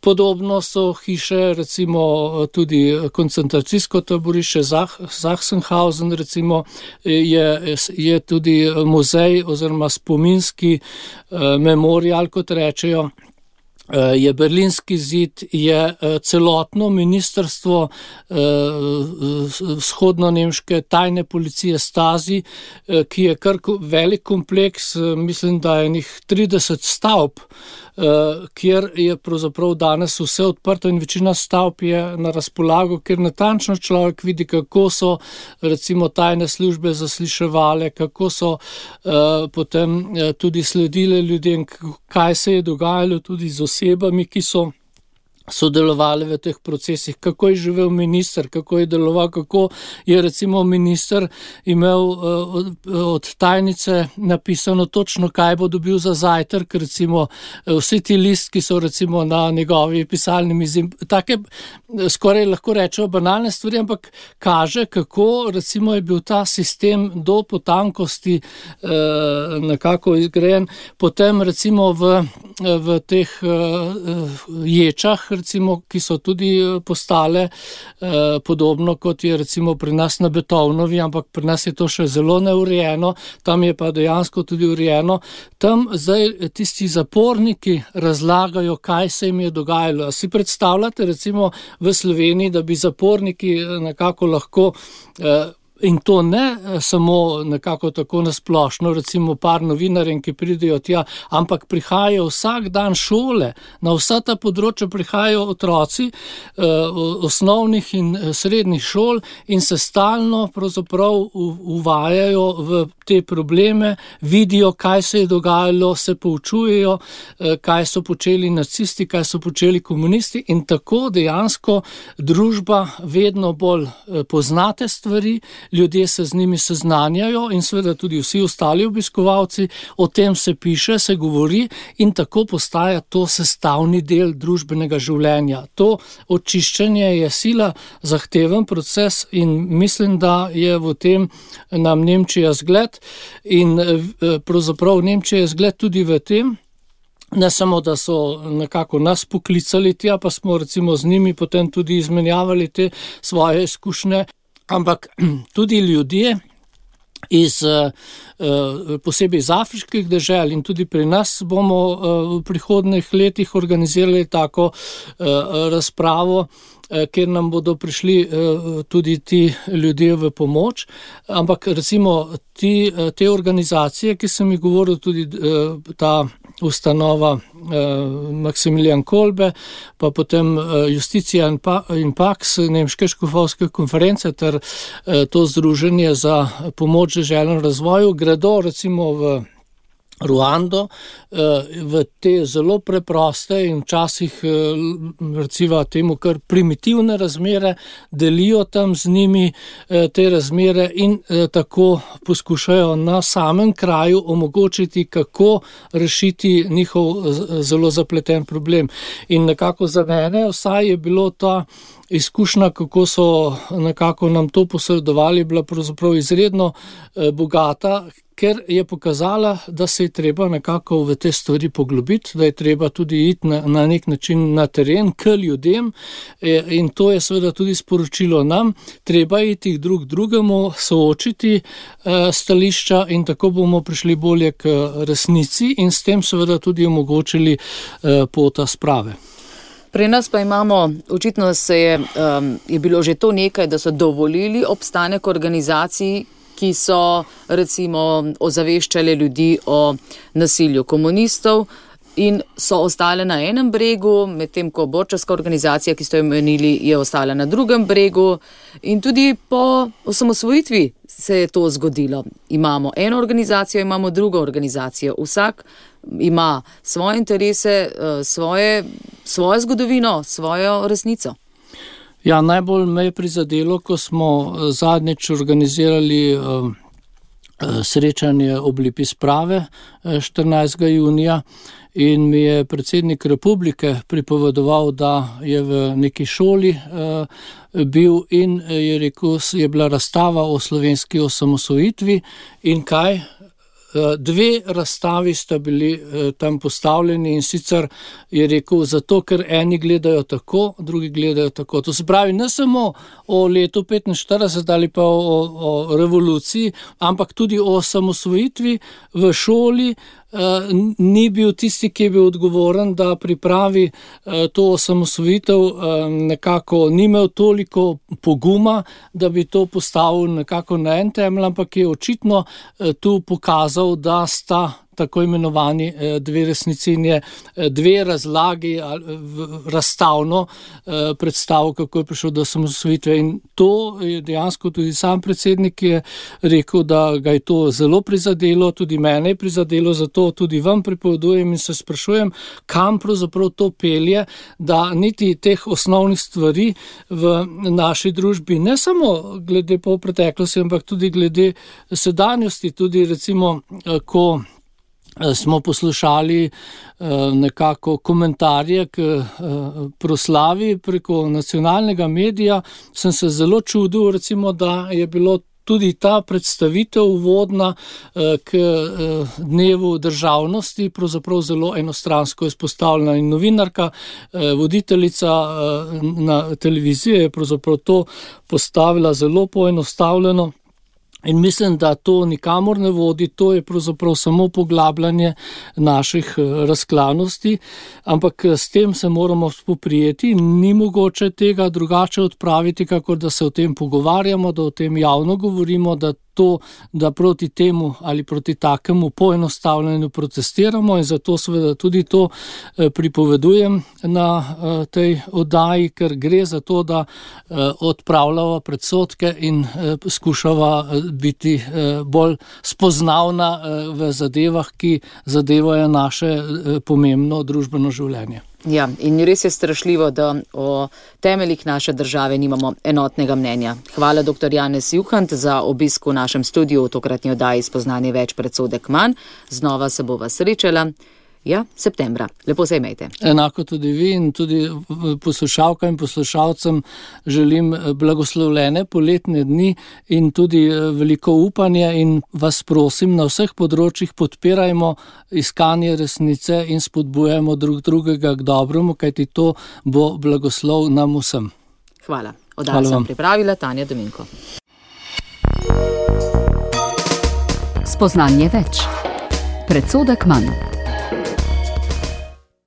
Podobno so hiše, recimo tudi koncentracijsko taborišče Sachsenhausen, recimo je, je tudi muzej oziroma spominski eh, memorial, kot rečejo. Je Berlinski zid, je celotno ministrstvo vzhodno-nemške tajne policije Stasi, ki je kar velik kompleks, mislim, da je njih trideset stavb, kjer je pravzaprav danes vse odprto in večina stavb je na razpolago, kjer natančno človek vidi, kako so recimo tajne službe zasliševale, kako so potem tudi sledile ljudem, kaj se je dogajalo tudi z osebami, ki so sodelovali v teh procesih, kako je živel minister, kako je deloval, kako je recimo minister imel uh, od tajnice napisano točno, kaj bo dobil za zajtrk, recimo vsi ti listki so recimo na njegovi pisalni mizi, take skoraj lahko rečejo banalne stvari, ampak kaže, kako recimo je bil ta sistem do potankosti uh, nekako izgrajen. Potem recimo v, v teh uh, ječah, recimo, ki so tudi postale eh, podobno, kot je recimo pri nas na Beethovnovi, ampak pri nas je to še zelo neurejeno, tam je pa dejansko tudi urejeno. Tam zdaj tisti zaporniki razlagajo, kaj se jim je dogajalo. Si predstavljate recimo v Sloveniji, da bi zaporniki nekako lahko eh, in to ne samo nekako tako nasplošno, recimo par novinarjem, ki pridejo tja, ampak prihajajo vsak dan šole, na vsa ta področja prihajajo otroci eh, osnovnih in srednjih šol in se stalno pravzaprav uvajajo v te probleme, vidijo, kaj se je dogajalo, se poučujejo, eh, kaj so počeli nacisti, kaj so počeli komunisti in tako dejansko družba vedno bolj eh, poznate stvari, ljudje se z njimi seznanjajo in seveda tudi vsi ostali obiskovalci, o tem se piše, se govori in tako postaja to sestavni del družbenega življenja. To očiščenje je sila zahteven proces in mislim, da je v tem nam Nemčija zgled in pravzaprav Nemčija je zgled tudi v tem, ne samo, da so nekako nas poklicali tja, pa smo recimo z njimi potem tudi izmenjavali te svoje izkušnje, ampak tudi ljudje iz posebej iz afriških dežel in tudi pri nas bomo v prihodnjih letih organizirali tako razpravo, kjer nam bodo prišli tudi ti ljudje v pomoč, ampak recimo ti, te organizacije, ki sem jih govoril, tudi ta ustanova Maximilian Kolbe, pa potem Justicija in Pax, Nemške škofovske konference ter to združenje za pomoč deželnemu razvoju, gredo recimo v Ruando, v te zelo preproste in včasih recimo temu kar primitivne razmere, delijo tam z njimi te razmere in tako poskušajo na samem kraju omogočiti, kako rešiti njihov zelo zapleten problem. In nekako za mene vsaj je bilo ta izkušnja, kako so nekako nam to posredovali, bila pravzaprav izredno bogata, ker je pokazala, da se je treba nekako v te stvari poglobiti, da je treba tudi iti na, na nek način na teren k ljudem in to je seveda tudi sporočilo nam, treba iti drug drugemu, soočiti stališča in tako bomo prišli bolje k resnici in s tem seveda tudi omogočili pot sprave. Pri nas pa imamo, očitno se je, um, je bilo že to nekaj, da so dovolili obstanek organizacij, ki so recimo ozaveščali ljudi o nasilju komunistov in so ostale na enem bregu, medtem ko borčarska organizacija, ki ste jo omenili, je ostala na drugem bregu in tudi po osamosvojitvi se je to zgodilo. Imamo eno organizacijo, imamo drugo organizacijo. Vsak ima svoje interese, svoje, svojo zgodovino, svojo resnico. Ja, najbolj me je prizadelo, ko smo zadnjič organizirali uh, srečanje ob Lipi sprave štirinajstega junija in mi je predsednik republike pripovedoval, da je v neki šoli uh, bil in je rekel, je bila razstava o slovenski osamosvojitvi in kaj? Dve razstavi sta bili tam postavljeni in sicer je rekel, zato ker eni gledajo tako, drugi gledajo tako. To se pravi ne samo o letu petinštirideset ali pa o, o revoluciji, ampak tudi o osamosvojitvi v šoli. Ni bil tisti, ki je bil odgovoren, da pripravi to osamosvojitev, nekako ni imel toliko poguma, da bi to postavil nekako na en temelj, ampak je očitno tu pokazal, da sta tako imenovani dve resnici in je dve razlagi razstavno predstavil, kako je prišel do osamosvojitve. In to je dejansko tudi sam predsednik je rekel, da ga je to zelo prizadelo, tudi mene je prizadelo, zato tudi vam pripovedujem in se sprašujem, kam pravzaprav to pelje, da niti teh osnovnih stvari v naši družbi, ne samo glede po preteklosti, ampak tudi glede sedanjosti, tudi recimo, ko smo poslušali nekako komentarje k proslavi preko nacionalnega medija, sem se zelo čudil, recimo, da je bilo tudi ta predstavitev uvodna k dnevu državnosti pravzaprav zelo enostransko izpostavljena in novinarka, voditeljica na televiziji je pravzaprav to postavila zelo poenostavljeno. In mislim, da to nikamor ne vodi, to je pravzaprav samo poglabljanje naših razklanosti, ampak s tem se moramo spoprijeti, ni mogoče tega drugače odpraviti, kakor da se o tem pogovarjamo, da o tem javno govorimo, da to, da proti temu ali proti takemu poenostavljanju protestiramo in zato seveda tudi to pripovedujem na tej oddaji, ker gre za to, da odpravljava predsodke in skušava biti bolj spoznavna v zadevah, ki zadevajo naše pomembno družbeno življenje. Ja, in res je strašljivo, da o temeljih naše države nimamo enotnega mnenja. Hvala doktor Janez Juhant za obisk v našem studiu v tokratni oddaji Spoznanje več, predsodek manj. Znova se bova srečala. Ja, septembra. Lepo se imejte. Enako tudi vi in tudi poslušalkam in poslušalcem želim blagoslovljene poletne dni in tudi veliko upanja in vas prosim, na vseh področjih podpirajmo iskanje resnice in spodbujajmo drug drugega k dobremu, kajti to bo blagoslov nam vsem. Hvala. Oddajo sem pripravila Tanja Dominko. Spoznanje več. Predsodek manj.